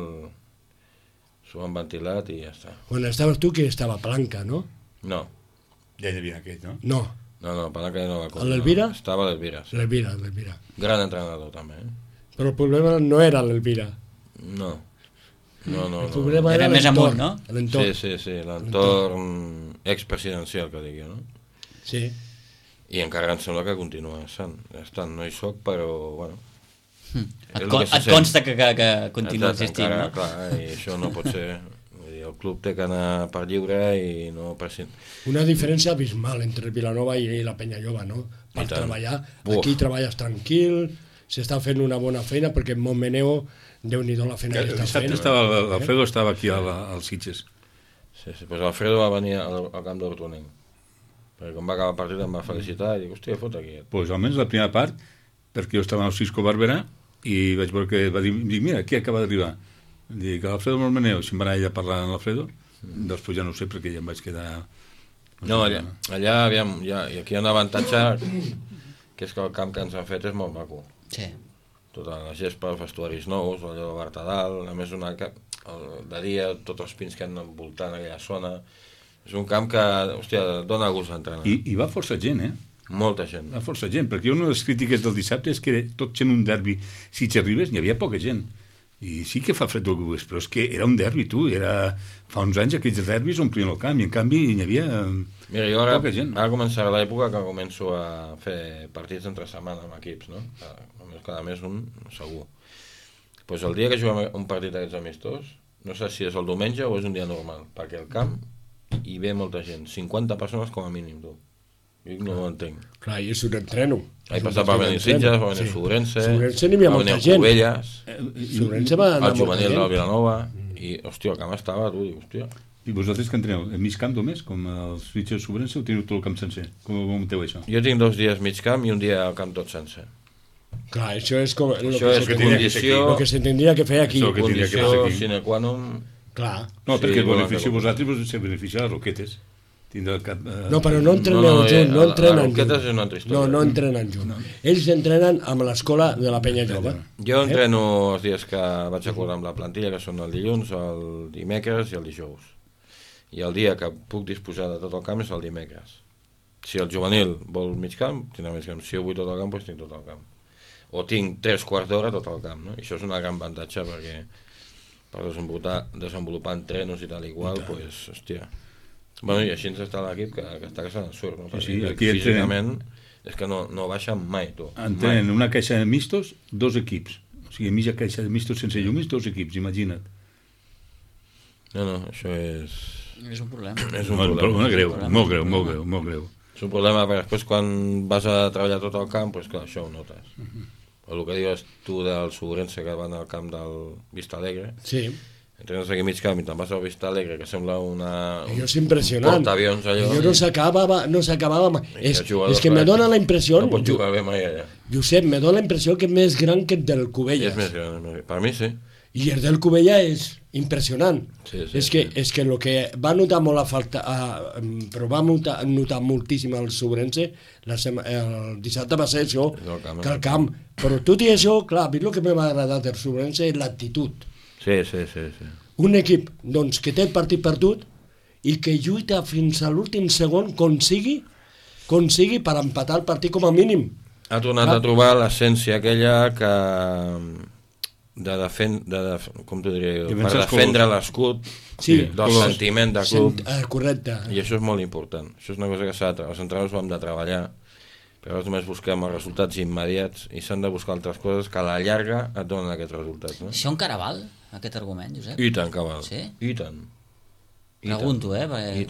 s'ho han ventilat i ja està. Quan estaves tu, que estava Palanca, no? No. Ja hi havia aquest, no? No. No, Palanca ja no va comprar. L'Elvira? Estava l'Elvira. Sí. L'Elvira. Gran entrenador també, Però el problema no era l'Elvira. No. El problema era més amunt, no? Sí, l'entorn expresidencial, que digui, no? Sí. I encara em sembla que continua estant. No hi soc, però, bueno... Et consta que continua existint, no? Clar, i això no pot ser. El club té que anar per lliure i no per... Una diferència abismal entre Vilanova i la Penyajove, no? Per treballar. Aquí treballes tranquil, s'està fent una bona feina, perquè en Montmeneo, Déu-n'hi-do la feina que està fent. Alfredo estava aquí als Sitges. Sí, doncs Alfredo va venir al camp d'Hortonenc, perquè quan va acabar el partit em va felicitar i dic, hòstia, fot aquí. Doncs almenys la primera part, perquè jo estava al Cisco Barberà i vaig veure que va dir, mira, aquí acaba d'arribar. Dic, Alfredo Montmeneo, si em va anar allà a parlar amb l'Alfredo, després ja no ho sé perquè ja em vaig quedar... No, allà aviam, i aquí hi ha un avantatge, que és que el camp que ens han fet és molt maco. Sí. Tota la gespa, els vestuaris nous, allò de Bartadal, a més de dia, tots els pins que han envoltant aquella zona. És un camp que, hòstia, dona gust d'entrenar. I va força gent, Molta gent. Va força gent, perquè una de les crítiques del dissabte és que era tot sent un derbi. Si t'arribes, n'hi havia poca gent. I sí que fa fred el que però és que era un derbi, tu. Fa uns anys aquells derbis omplien el camp, i en canvi n'hi havia poca gent. Ara començarà l'època que començo a fer partits entre setmana amb equips, no? Cada mes un, segur. Doncs el dia que juguem un partit d'aquests amistós, no sé si és el diumenge o és un dia normal, perquè al camp hi ve molta gent, 50 persones com a mínim, tu. Jo no ho entenc. Clar, i és un entreno. Ahir passat va venir Sitges, va venir Sobrense, n'hi havia molta gent. Covelles, Sobrense va anar el juvenil del Vilanova, i, hòstia, el camp estava, tu, dic, hòstia. I vosaltres que entreneu? En mig camp només, com els Sitges Sobrense, o teniu tot el camp sencer? Com ho munteu això? Jo tinc 2 dies mig camp i un dia al camp tot sencer. Clar, això és com... Això és condició... El que se tindria que fer aquí. Condició sine qua non... Clar. No, perquè el benefici vosaltres se beneficia les roquetes. No, però no entreneu junt, no entrenen junt. És una altra història. No entrenen junt. Ells entrenen amb l'escola de la Penyajove. Jo entreno els dies que vaig acordar amb la plantilla, que són el dilluns, el dimecres i el dijous. I el dia que puc disposar de tot el camp és el dimecres. Si el juvenil vol mig camp, tindrà mig camp. Si jo vull tot el camp, doncs tinc tot el camp. O tinc 3/4 d'hora tot el camp, no? I això és una gran avantatge perquè per desenvolupar entrenos i tal i qual, doncs, hòstia. Bueno, i així ens està l'equip que està que se n'ensurt, no? Sí, aquí físicament és que no baixen mai, tu. Entrenen una caixa de mistos, 2 equips. O sigui, mitja caixa de mistos sense llumis, 2 equips, imagina't. No, això és... És un problema. És un problema greu, molt greu. És un problema perquè després quan vas a treballar tot el camp, doncs clar, això ho notes. O el que dius tu del Sobrense que van al camp del Vista Alegre, sí. entrenes aquí mig camp i te'n vas al Vista Alegre, que sembla una... Allò és impressionant. Portaavions, allò. Allò no s'acabava mai. És que me dona la impressió... No pot jugar bé mai allà. Josep, me dona la impressió que és més gran que el del Cubelles. És més gran, per mi sí. I el del Cubella és impressionant. Sí, és que el que va notar molt a falta, però va notar moltíssim el Sobrense, el dissabte va ser això, que el camp. Però tot i això, clar, a mi el que m'ha agradat del Sobrense és l'actitud. Sí. Un equip doncs, que té el partit perdut i que lluita fins a l'últim segon consigui per empatar el partit com a mínim. Ha tornat a trobar l'essència aquella que... com t'ho diré jo, per defendre l'escut, del sentiment de club. Correcte. I això és molt important. Això és una cosa que els entrenadors ho hem de treballar, però només busquem els resultats immediats i s'han de buscar altres coses que a la llarga et donen aquests resultats. No? Això encara val, aquest argument, Josep? I tant que val. Sí? I tant. Pregunto, perquè... I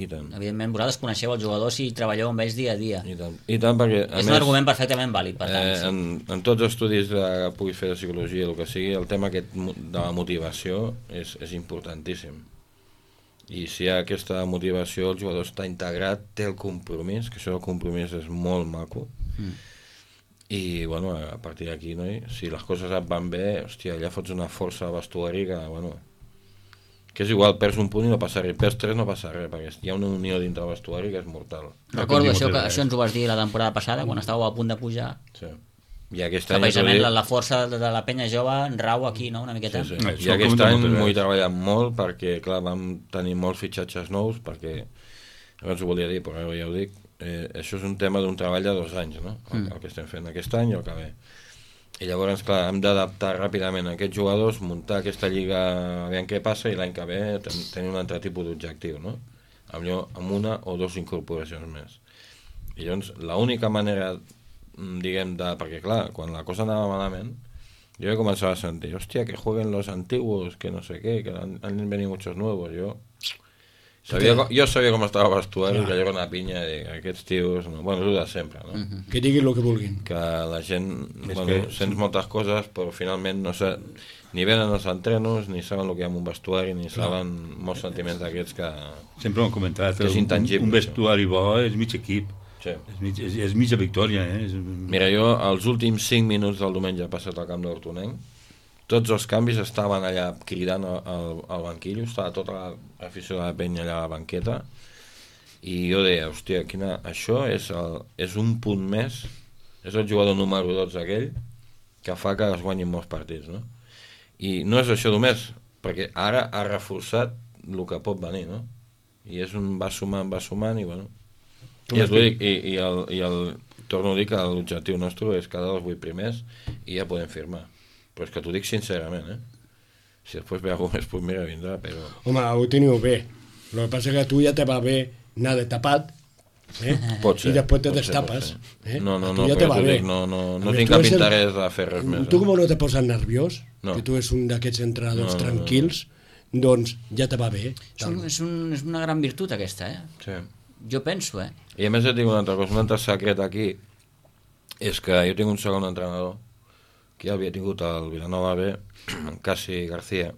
tant. Evidentment, vosaltres coneixeu els jugadors i treballeu amb ells dia a dia. I tant, perquè... És un argument perfectament vàlid, per tant. Sí. En tots els estudis que puguis fer de psicologia, el que sigui, el tema aquest de la motivació és importantíssim. I si hi ha aquesta motivació, el jugador està integrat, té el compromís, que això del compromís és molt maco. I, bueno, a partir d'aquí, no? Si les coses et van bé, hòstia, allà fots una força al vestuari que, bueno... que és igual, perds un punt i no passa res, perds 3 no passa res, perquè hi ha una unió dintre el vestuari que és mortal. Recordo això ens ho vas dir la temporada passada, quan estàveu a punt de pujar. Sí. I aquest any... Precisament la força de la penya jove rau aquí, no?, una miqueta. Sí. I aquest any m'ho he treballat molt, perquè, clar, vam tenir molts fitxatges nous, perquè, abans ho volia dir, però ara ja ho dic, això és un tema d'un treball de 2 anys, no?, el que estem fent aquest any i el que ve. I llavors, clar, hem d'adaptar ràpidament a aquests jugadors, muntar aquesta lliga, aviam què passa, i l'any que ve tenir un altre tipus d'objectiu, no? Amb una o 2 incorporacions més. I llavors, l'única manera, diguem, perquè clar, quan la cosa anava malament, jo començava a sentir, hòstia, que jueguen los antiguos, que no sé què, que han venido muchos nuevos, jo sabia com estava el vestuari, que allò era una pinya, i aquests tios, no, bueno, és de sempre, no? Que diguin el que vulguin. Que la gent, bueno, sents moltes coses, però finalment no sé, ni venen els entrenos, ni saben el que hi ha en un vestuari, ni saben molts sentiments d'aquests que... Sempre ho hem comentat, un vestuari bo és mig equip. Sí. És mitja victòria, Mira, jo els últims 5 minuts del diumenge passat al camp d'Hortonenc, tots els canvis estaven allà cridant al banquillo, estava tota l'afició de la penya allà a la banqueta, i jo deia, hòstia, això és un punt més, és el jugador número 12 aquell, que fa que es guanyin molts partits, no? I no és això només, perquè ara ha reforçat el que pot venir, no? I va sumant, i bueno... I torno a dir que l'objectiu nostre és quedar els 8 primers i ja podem firmar. Però és que t'ho dic sincerament, Si després ve algú més, pues mira, vindrà, però... Home, ho teniu bé. El que passa és que tu ja te va bé anar de tapat, Pot ser, i després te destapes. No, ja te va bé. No tinc cap interès de fer res més. Tu com no te poses nerviós, que tu ets un d'aquests entrenadors tranquils, doncs ja te va bé. És una gran virtut aquesta, Sí. Jo penso, I a més et dic una altra cosa, un altre secret aquí, és que jo tinc un segon entrenador, que ja havia tingut el Vilanova B, en Casi García,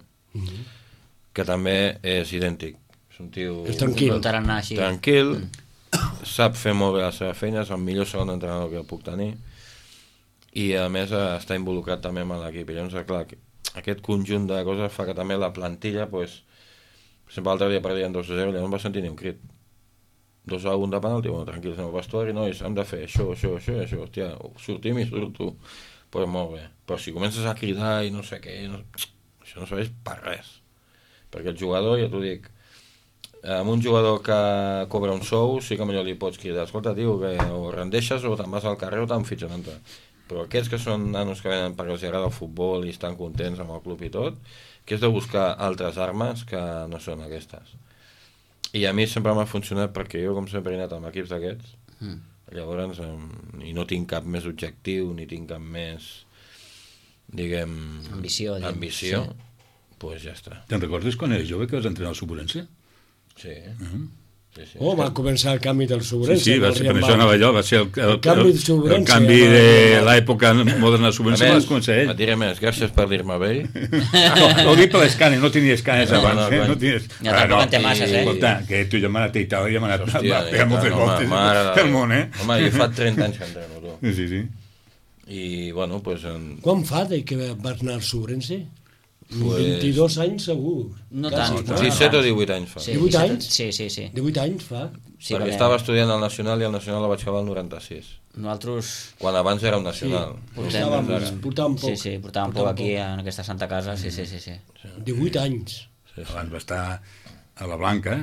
que també és idèntic. És un tio... És tranquil. Tranquil, sap fer molt bé la seva feina, és el millor segon entrenador que puc tenir, i a més està involucrat també amb l'equip. I llavors, clar, aquest conjunt de coses fa que també la plantilla, pues, sempre l'altre dia perdien 2-0, llavors no va sentir ni un crit. 2-1 de penalti, bueno, tranquils, anem al vestuari, nois, hem de fer això, hòstia, sortim i surto. Pues molt bé, però si comences a cridar i no sé què, això no serveix per res, perquè el jugador, ja t'ho dic, amb un jugador que cobra un sou sí que millor li pots cridar, escolta tio, que o rendeixes o te'n vas al carrer o te'n fitxen altre, però aquests que són nanos que venen perquè els agrada el futbol i estan contents amb el club i tot, que és de buscar altres armes que no són aquestes, i a mi sempre m'ha funcionat perquè jo com sempre he anat amb equips d'aquests, llavors, i no tinc cap més objectiu, ni tinc cap més, diguem... Ambició. Pues ja està. Te'n recordes quan eres jove que vas entrenar al Suburense? Sí. Va començar el canvi del Sobrense. Sí, va ser, per això anava allò, va ser el canvi del Sobrense. El canvi de l'època moderna del Sobrense va començar ell. Et diré més, gràcies per dir-me bé. No, ho dic per l'escàner, no tenia escàners abans. Ja tampoc en té masses, Escolta, que tu ja m'ha anat a Itàlia, ja m'ha anat moltes voltes pel món, Home, jo fa 30 anys que entreno, tu. Sí. I, bueno, doncs... Quan fa que vas anar al Sobrense? 22 anys segur. No tant. 17 o 18 anys fa. 18 anys? Sí. 18 anys fa. Perquè estava estudiant al Nacional i al Nacional la vaig acabar el 96. Nosaltres... Quan abans era un Nacional. Portàvem poc. Sí, portàvem poc aquí en aquesta Santa Casa, sí. 18 anys. Abans va estar a la Blanca,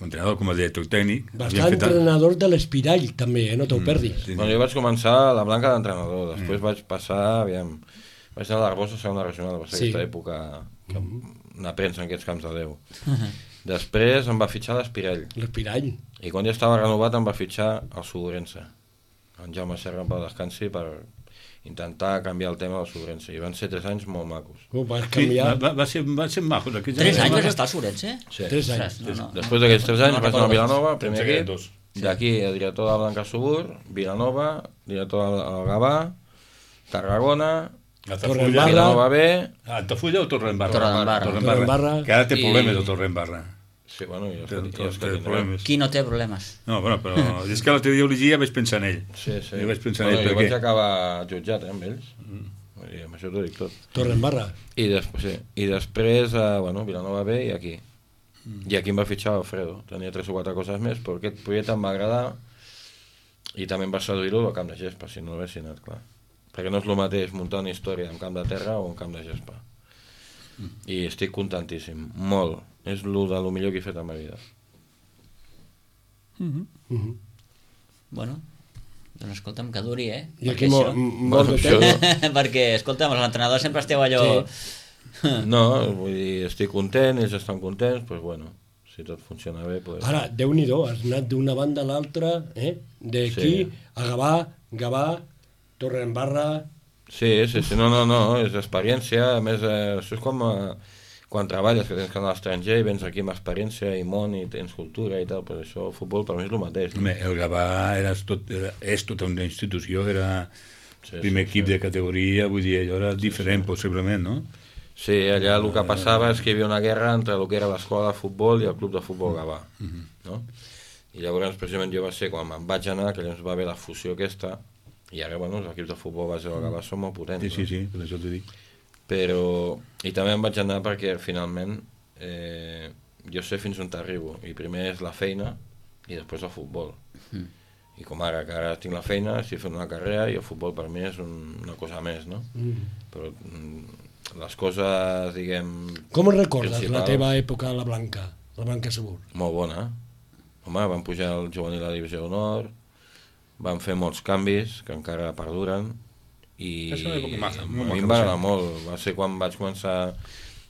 entrenador com a director tècnic. Va estar entrenador de l'Espirall, també, no t'ho perdis. Bueno, jo vaig començar a la Blanca d'entrenador, després vaig passar, aviam... Vaig anar a l'Arbosa a segona regional, va ser aquesta època que una premsa en aquests camps de Déu. Després em va fitxar l'Espirall. L'Espirall. I quan ja estava renovat em va fitxar el Sobrense. En Jaume Serra em va descansi per intentar canviar el tema del Sobrense. I van ser 3 anys molt macos. Vas canviar... Va ser macos. 3 anys vas estar al Sobrense? Sí. 3 anys. Després d'aquests 3 anys vaig anar a Vilanova, primer equip. D'aquí el director de la Blanca Subur, Vilanova, director del Gavà, Tarragona... Torredembarra. Altafulla o Torredembarra. Que ara té problemes el Torredembarra. Sí, bueno, Qui no té problemes? No, bueno, però és que l'altre dia ho llegia i vaig pensar en ell. Sí. Jo vaig pensar en ell. Jo vaig acabar jutjat, amb ells. I amb això t'ho dic tot. Torredembarra. I després, Vilanova B i aquí. I aquí em va fitxar Alfredo. Tenia 3 o 4 coses més, però aquest projecte em va agradar i també em va seduir-ho al camp de gespa, si no l'hagués anat, clar. Perquè no és el mateix muntar una història en camp de terra o en camp de gespa. I estic contentíssim, molt. És el millor que he fet a la meva vida. Bueno, doncs escolta'm, que duri, I aquí molt de temps. Perquè, escolta'm, els entrenadors sempre esteu allò... No, vull dir, estic content, ells estan contents, doncs bueno, si tot funciona bé... Ara, Déu-n'hi-do, has anat d'una banda a l'altra, d'aquí a Gavà, Torredembarra... Sí, no, és experiència, a més, això és com quan treballes, que tens que anar a l'estranger i vens aquí amb experiència i món i tens cultura i tal, però això, el futbol per mi és el mateix. El Gavà és tota una institució, era primer equip de categoria, vull dir, allò era diferent possiblement, no? Sí, allà el que passava és que hi havia una guerra entre el que era l'escola de futbol i el club de futbol Gavà, no? I llavors, precisament, jo va ser quan me'n vaig anar, que llavors va haver la fusió aquesta. I ara, bueno, els equips de futbol base del Gavà són molt potents. Sí, per això t'ho dic. Però... I també em vaig anar perquè, finalment, jo sé fins on t'arribo. I primer és la feina i després el futbol. I com ara, que ara tinc la feina, estic fent una carrera i el futbol per mi és una cosa més, no? Però les coses, diguem... Com recordes la teva època a la Blanca Segur? Molt bona. Home, vam pujar al juvenil a la Divisió d'Honor, van fer molts canvis que encara perduren i a mi em va agradar molt. Va ser quan vaig començar,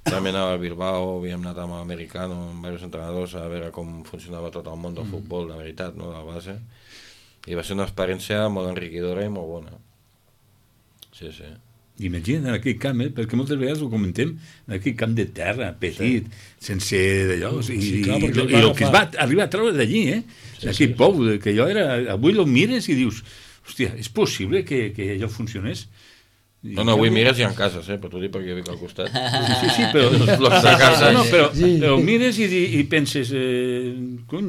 també anava al Bilbao, havíem anat amb l'Americano, amb diversos entrenadors a veure com funcionava tot el món del futbol, de veritat, no, de la base, i va ser una experiència molt enriquidora i molt bona. Sí. Imagina't en aquell camp, perquè moltes vegades ho comentem, en aquell camp de terra, petit, sense d'allò, i el que es va arribar a treure d'allí, d'aquell pou, que allò era... Avui el mires i dius, hòstia, és possible que allò funcionés? No, avui mires i en cases, però t'ho dic perquè jo vic al costat. Sí, però... Però mires i penses, cony,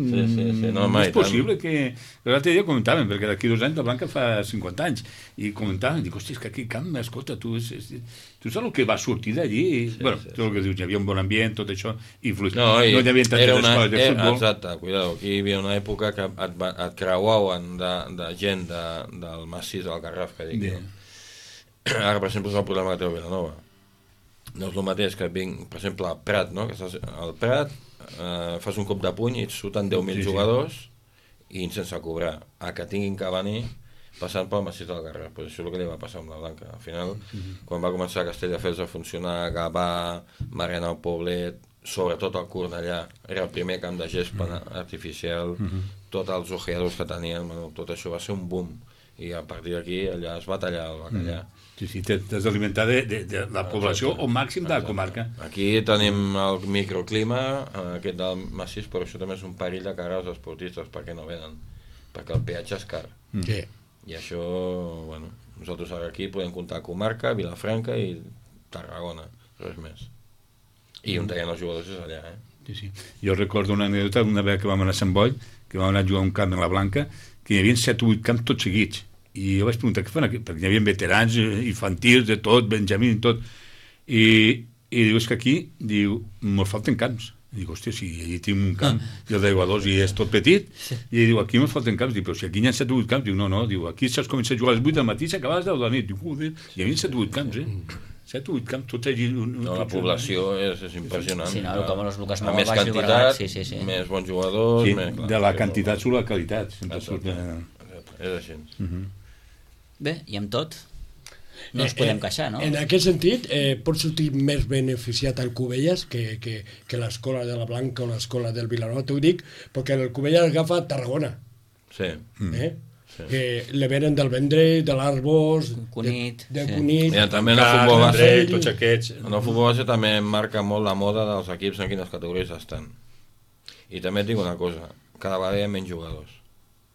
és possible que... L'altre dia comentàvem, perquè d'aquí 2 anys la Blanca fa 50 anys, i comentàvem, dic, hòstia, és que aquí camp, escolta, tu saps el que va sortir d'allí? Bueno, tot el que dius, hi havia un bon ambient, tot això, influït. No hi havia tantes escoles de futbol. Exacte, cuidado, aquí hi havia una època que et creuaven de gent del massís del Garraf, que dic jo. Ara, per exemple, és el problema que té el Vilanova. No és el mateix que vinc, per exemple, al Prat, no? Que estàs al Prat, fas un cop de puny i et surten 10.000 jugadors i sense cobrar. A que tinguin que venir passant pel massís del Garraf. Pues això és el que li va passar amb la Blanca. Al final, quan va començar Castelldefels a funcionar, Gavà, Mariana del Poblet, sobretot el Cornellà, era el primer camp de gespa artificial, tots els ojeadors que tenien, tot això va ser un boom. i a partir d'aquí allà es va tallar el bacallà. Sí, t'has d'alimentar de la població o màxim de la comarca. Aquí tenim el microclima, aquest del massís, però això també és un perill de cara als esportistes, perquè no venen, perquè el peatge és car. Sí. I això, bueno, nosaltres ara aquí podem comptar comarca, Vilafranca i Tarragona, res més. I on deien els jugadors és allà, Sí. Jo recordo una anècdota d'una vegada que vam anar a Sant Boi, que vam anar a jugar a un camp en la Blanca, que hi havia 7 o 8 camps tots seguits. I jo vaig preguntar què fan aquí, perquè hi havia veterans, infantils, de tot, Benjamí i tot. I diu, és que aquí, diu, mos falten camps. I dic, hòstia, si allí tinc un camp, i el d'aigua-dos, i és tot petit, i diu, aquí mos falten camps. Diu, però si aquí hi ha 7 o 8 camps, diu, no, diu, aquí s'has començat a jugar a les 8 del matí i s'acaba a les 10 de la nit. Diu, joder, hi havia 7 o 8 camps, 7 o 8 camps, tots allí... No, la població és impressionant. Sí, no, com els Lucas Molt més quantitat, més bons jugadors... Sí, de la quantitat surt la qualitat. És així. Bé, i amb tot, no ens podem queixar, no? En aquest sentit, pot sortir més beneficiat el Cubelles que l'escola de la Blanca o l'escola del Vilanova, t'ho dic, perquè el Cubelles agafa Tarragona. Sí. Que le venen del Vendrell, de l'Arbós, Cunit, de Cunit... Mira, també en el futbol base, tots aquests... En el futbol base també marca molt la moda dels equips en quines categories estan. I també et dic una cosa, cada vegada hi ha menys jugadors.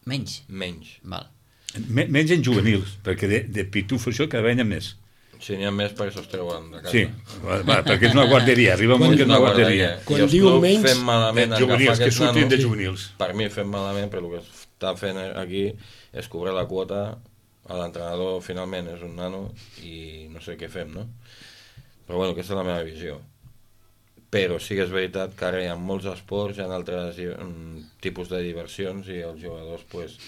Menys? Menys. Val. Menys en juvenils, perquè de pitufo això cada vegada n'hi ha més. Si n'hi ha més perquè se'ls treuen de casa. Sí, perquè és una guarderia, arriba un moment que és una guarderia. Quan diu menys... Fem malament juvenils, que surtin de juvenils. Per mi fem malament, però el que està fent aquí és cobrar la quota a l'entrenador, finalment és un nano i no sé què fem, no? Però bueno, aquesta és la meva visió. Però sí que és veritat que ara hi ha molts esports, hi ha altres tipus de diversions i els jugadors, pues,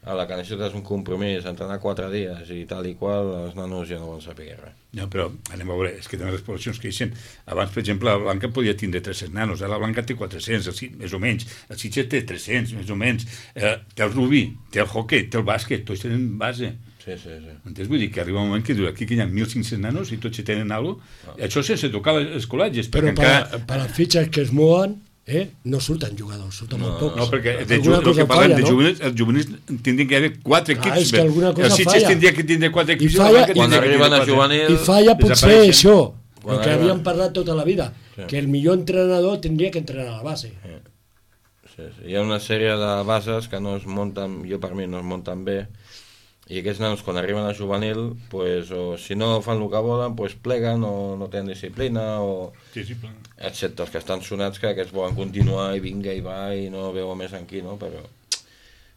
a la que necessites un compromís, entrenar 4 dies i tal i qual, els nanos ja no volen saber res. No, però anem a veure, és que també les poblacions creixen. Abans, per exemple, la Blanca podia tindre 300 nanos, ara la Blanca té 400, més o menys, el Sitges té 300, més o menys, té el rugby, té el hockey, té el bàsquet, tots tenen base. Sí. Entens? Vull dir que arriba un moment que aquí hi ha 1.500 nanos i tots tenen alguna cosa, això sense tocar els col·legis. Però per les fitxes que es mouen, no surten jugadors, surten molt pocs. No, perquè el que parlem de juvenils, els juvenils tindrien que haver 4 equips. És que alguna cosa el Sitges tindria que tindre 4 equips. Quan arriben a juvenil... I falla potser això, el que havíem parlat tota la vida, que el millor entrenador tindria que entrenar a la base. Sí. Hi ha una sèrie de bases que no es munten, jo per mi no es munten bé, i aquests nanos quan arriben a juvenil, pues, o si no fan el que volen, pues, pleguen o no tenen disciplina o excepte els que estan sonats que aquests volen continuar i vinga i va i no veu més en qui, no? Però...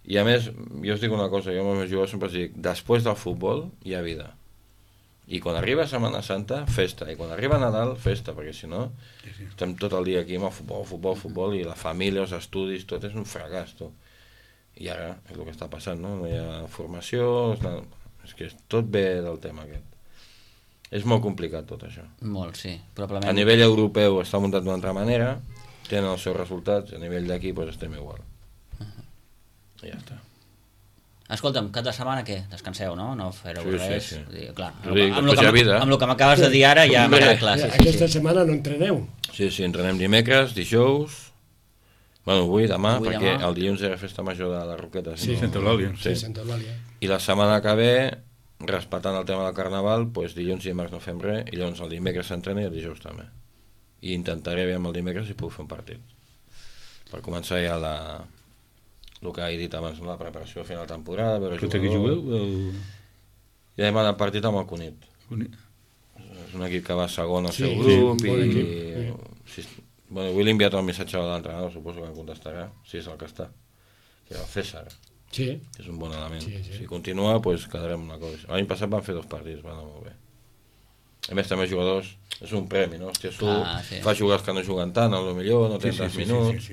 I a més, jo us dic una cosa, jo amb els meus jugadors sempre els dic, després del futbol hi ha vida. I quan arriba Setmana Santa, festa, i quan arriba Nadal, festa, perquè si no estem tot el dia aquí amb el futbol, i la família, els estudis, tot és un fracàs, tu. I ara és el que està passant, no? No hi ha formació, és que tot ve del tema aquest. És molt complicat tot això. Molt, sí. Probablement... A nivell europeu està muntat d'una altra manera, tenen els seus resultats, a nivell d'aquí doncs estem igual. I ja està. Escolta'm, cap de setmana què? Descanseu, no? No fareu res. Sí. Clar, amb el que m'acabes de dir ara ja m'agrada clar. Aquesta setmana no entreneu? Sí, entrenem dimecres, dijous... Bueno, avui, demà, perquè el dilluns era festa major de la Roqueta. Sí, Santa Eulàlia. Sí, Santa Eulàlia. I la setmana que ve, respectant el tema del carnaval, doncs dilluns i dimarts no fem res, i llavors el dimecres s'entrena i el dijous també. I intentaré veure el dimecres si puc fer un partit. Per començar ja el que he dit abans, la preparació a final de temporada, veure jugadors. Qui jugueu? Ja hem anat partit amb el Cunit. És un equip que va segon al seu grup i... Bueno, avui l'he enviat el missatge a l'entrenador, suposo que em contestarà, si és el que està, que era el César, que és un bon element. Si continua, doncs quedarem una cosa. L'any passat van fer 2 partits, van anar molt bé. A més, també jugadors, és un premi, no? Hòstia, fa jugadors que no juguen tant, potser no tenen tants minuts,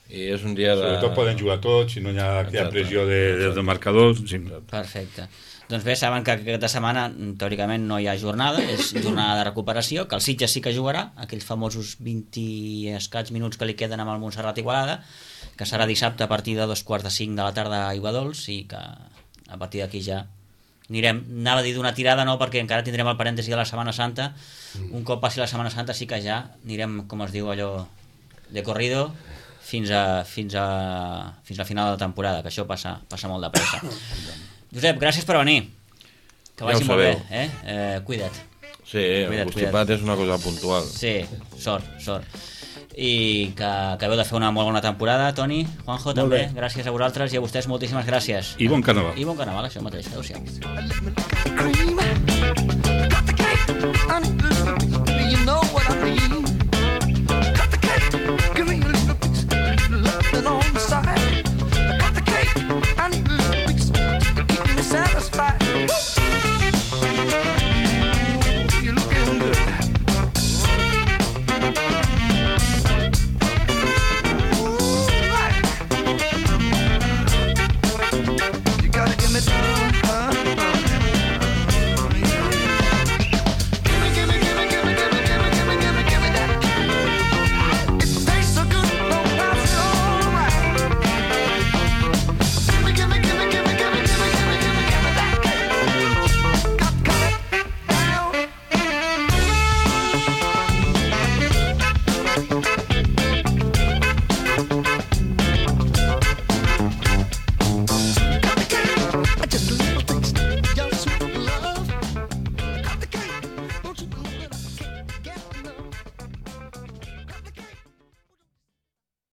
i és un dia de... Sobretot poden jugar tots, si no hi ha aquella pressió dels marcadors. Perfecte. Doncs bé, saben que aquesta setmana teòricament no hi ha jornada, és jornada de recuperació, que el Sitges sí que jugarà, aquells famosos 20 i escaig minuts que li queden amb el Montserrat Igualada, que serà dissabte a partir de 4:45 de la tarda a Aiguadols, i que a partir d'aquí ja anirem, anava a dir d'una tirada no, perquè encara tindrem el parèntesi de la Setmana Santa, un cop passi la Setmana Santa sí que ja anirem, com es diu allò, de corrido, fins a final de temporada, que això passa molt de pressa. Josep, gràcies per venir. Que Ja vagi ho molt bé, sabeu. Cuida't. Sí, el constipat és una cosa puntual. Sí, sort. I que acabeu de fer una molt bona temporada, Toni, Juanjo, també, gràcies a vosaltres i a vostès moltíssimes gràcies. I bon carnaval. I bon carnaval, això mateix. Adéu-siau.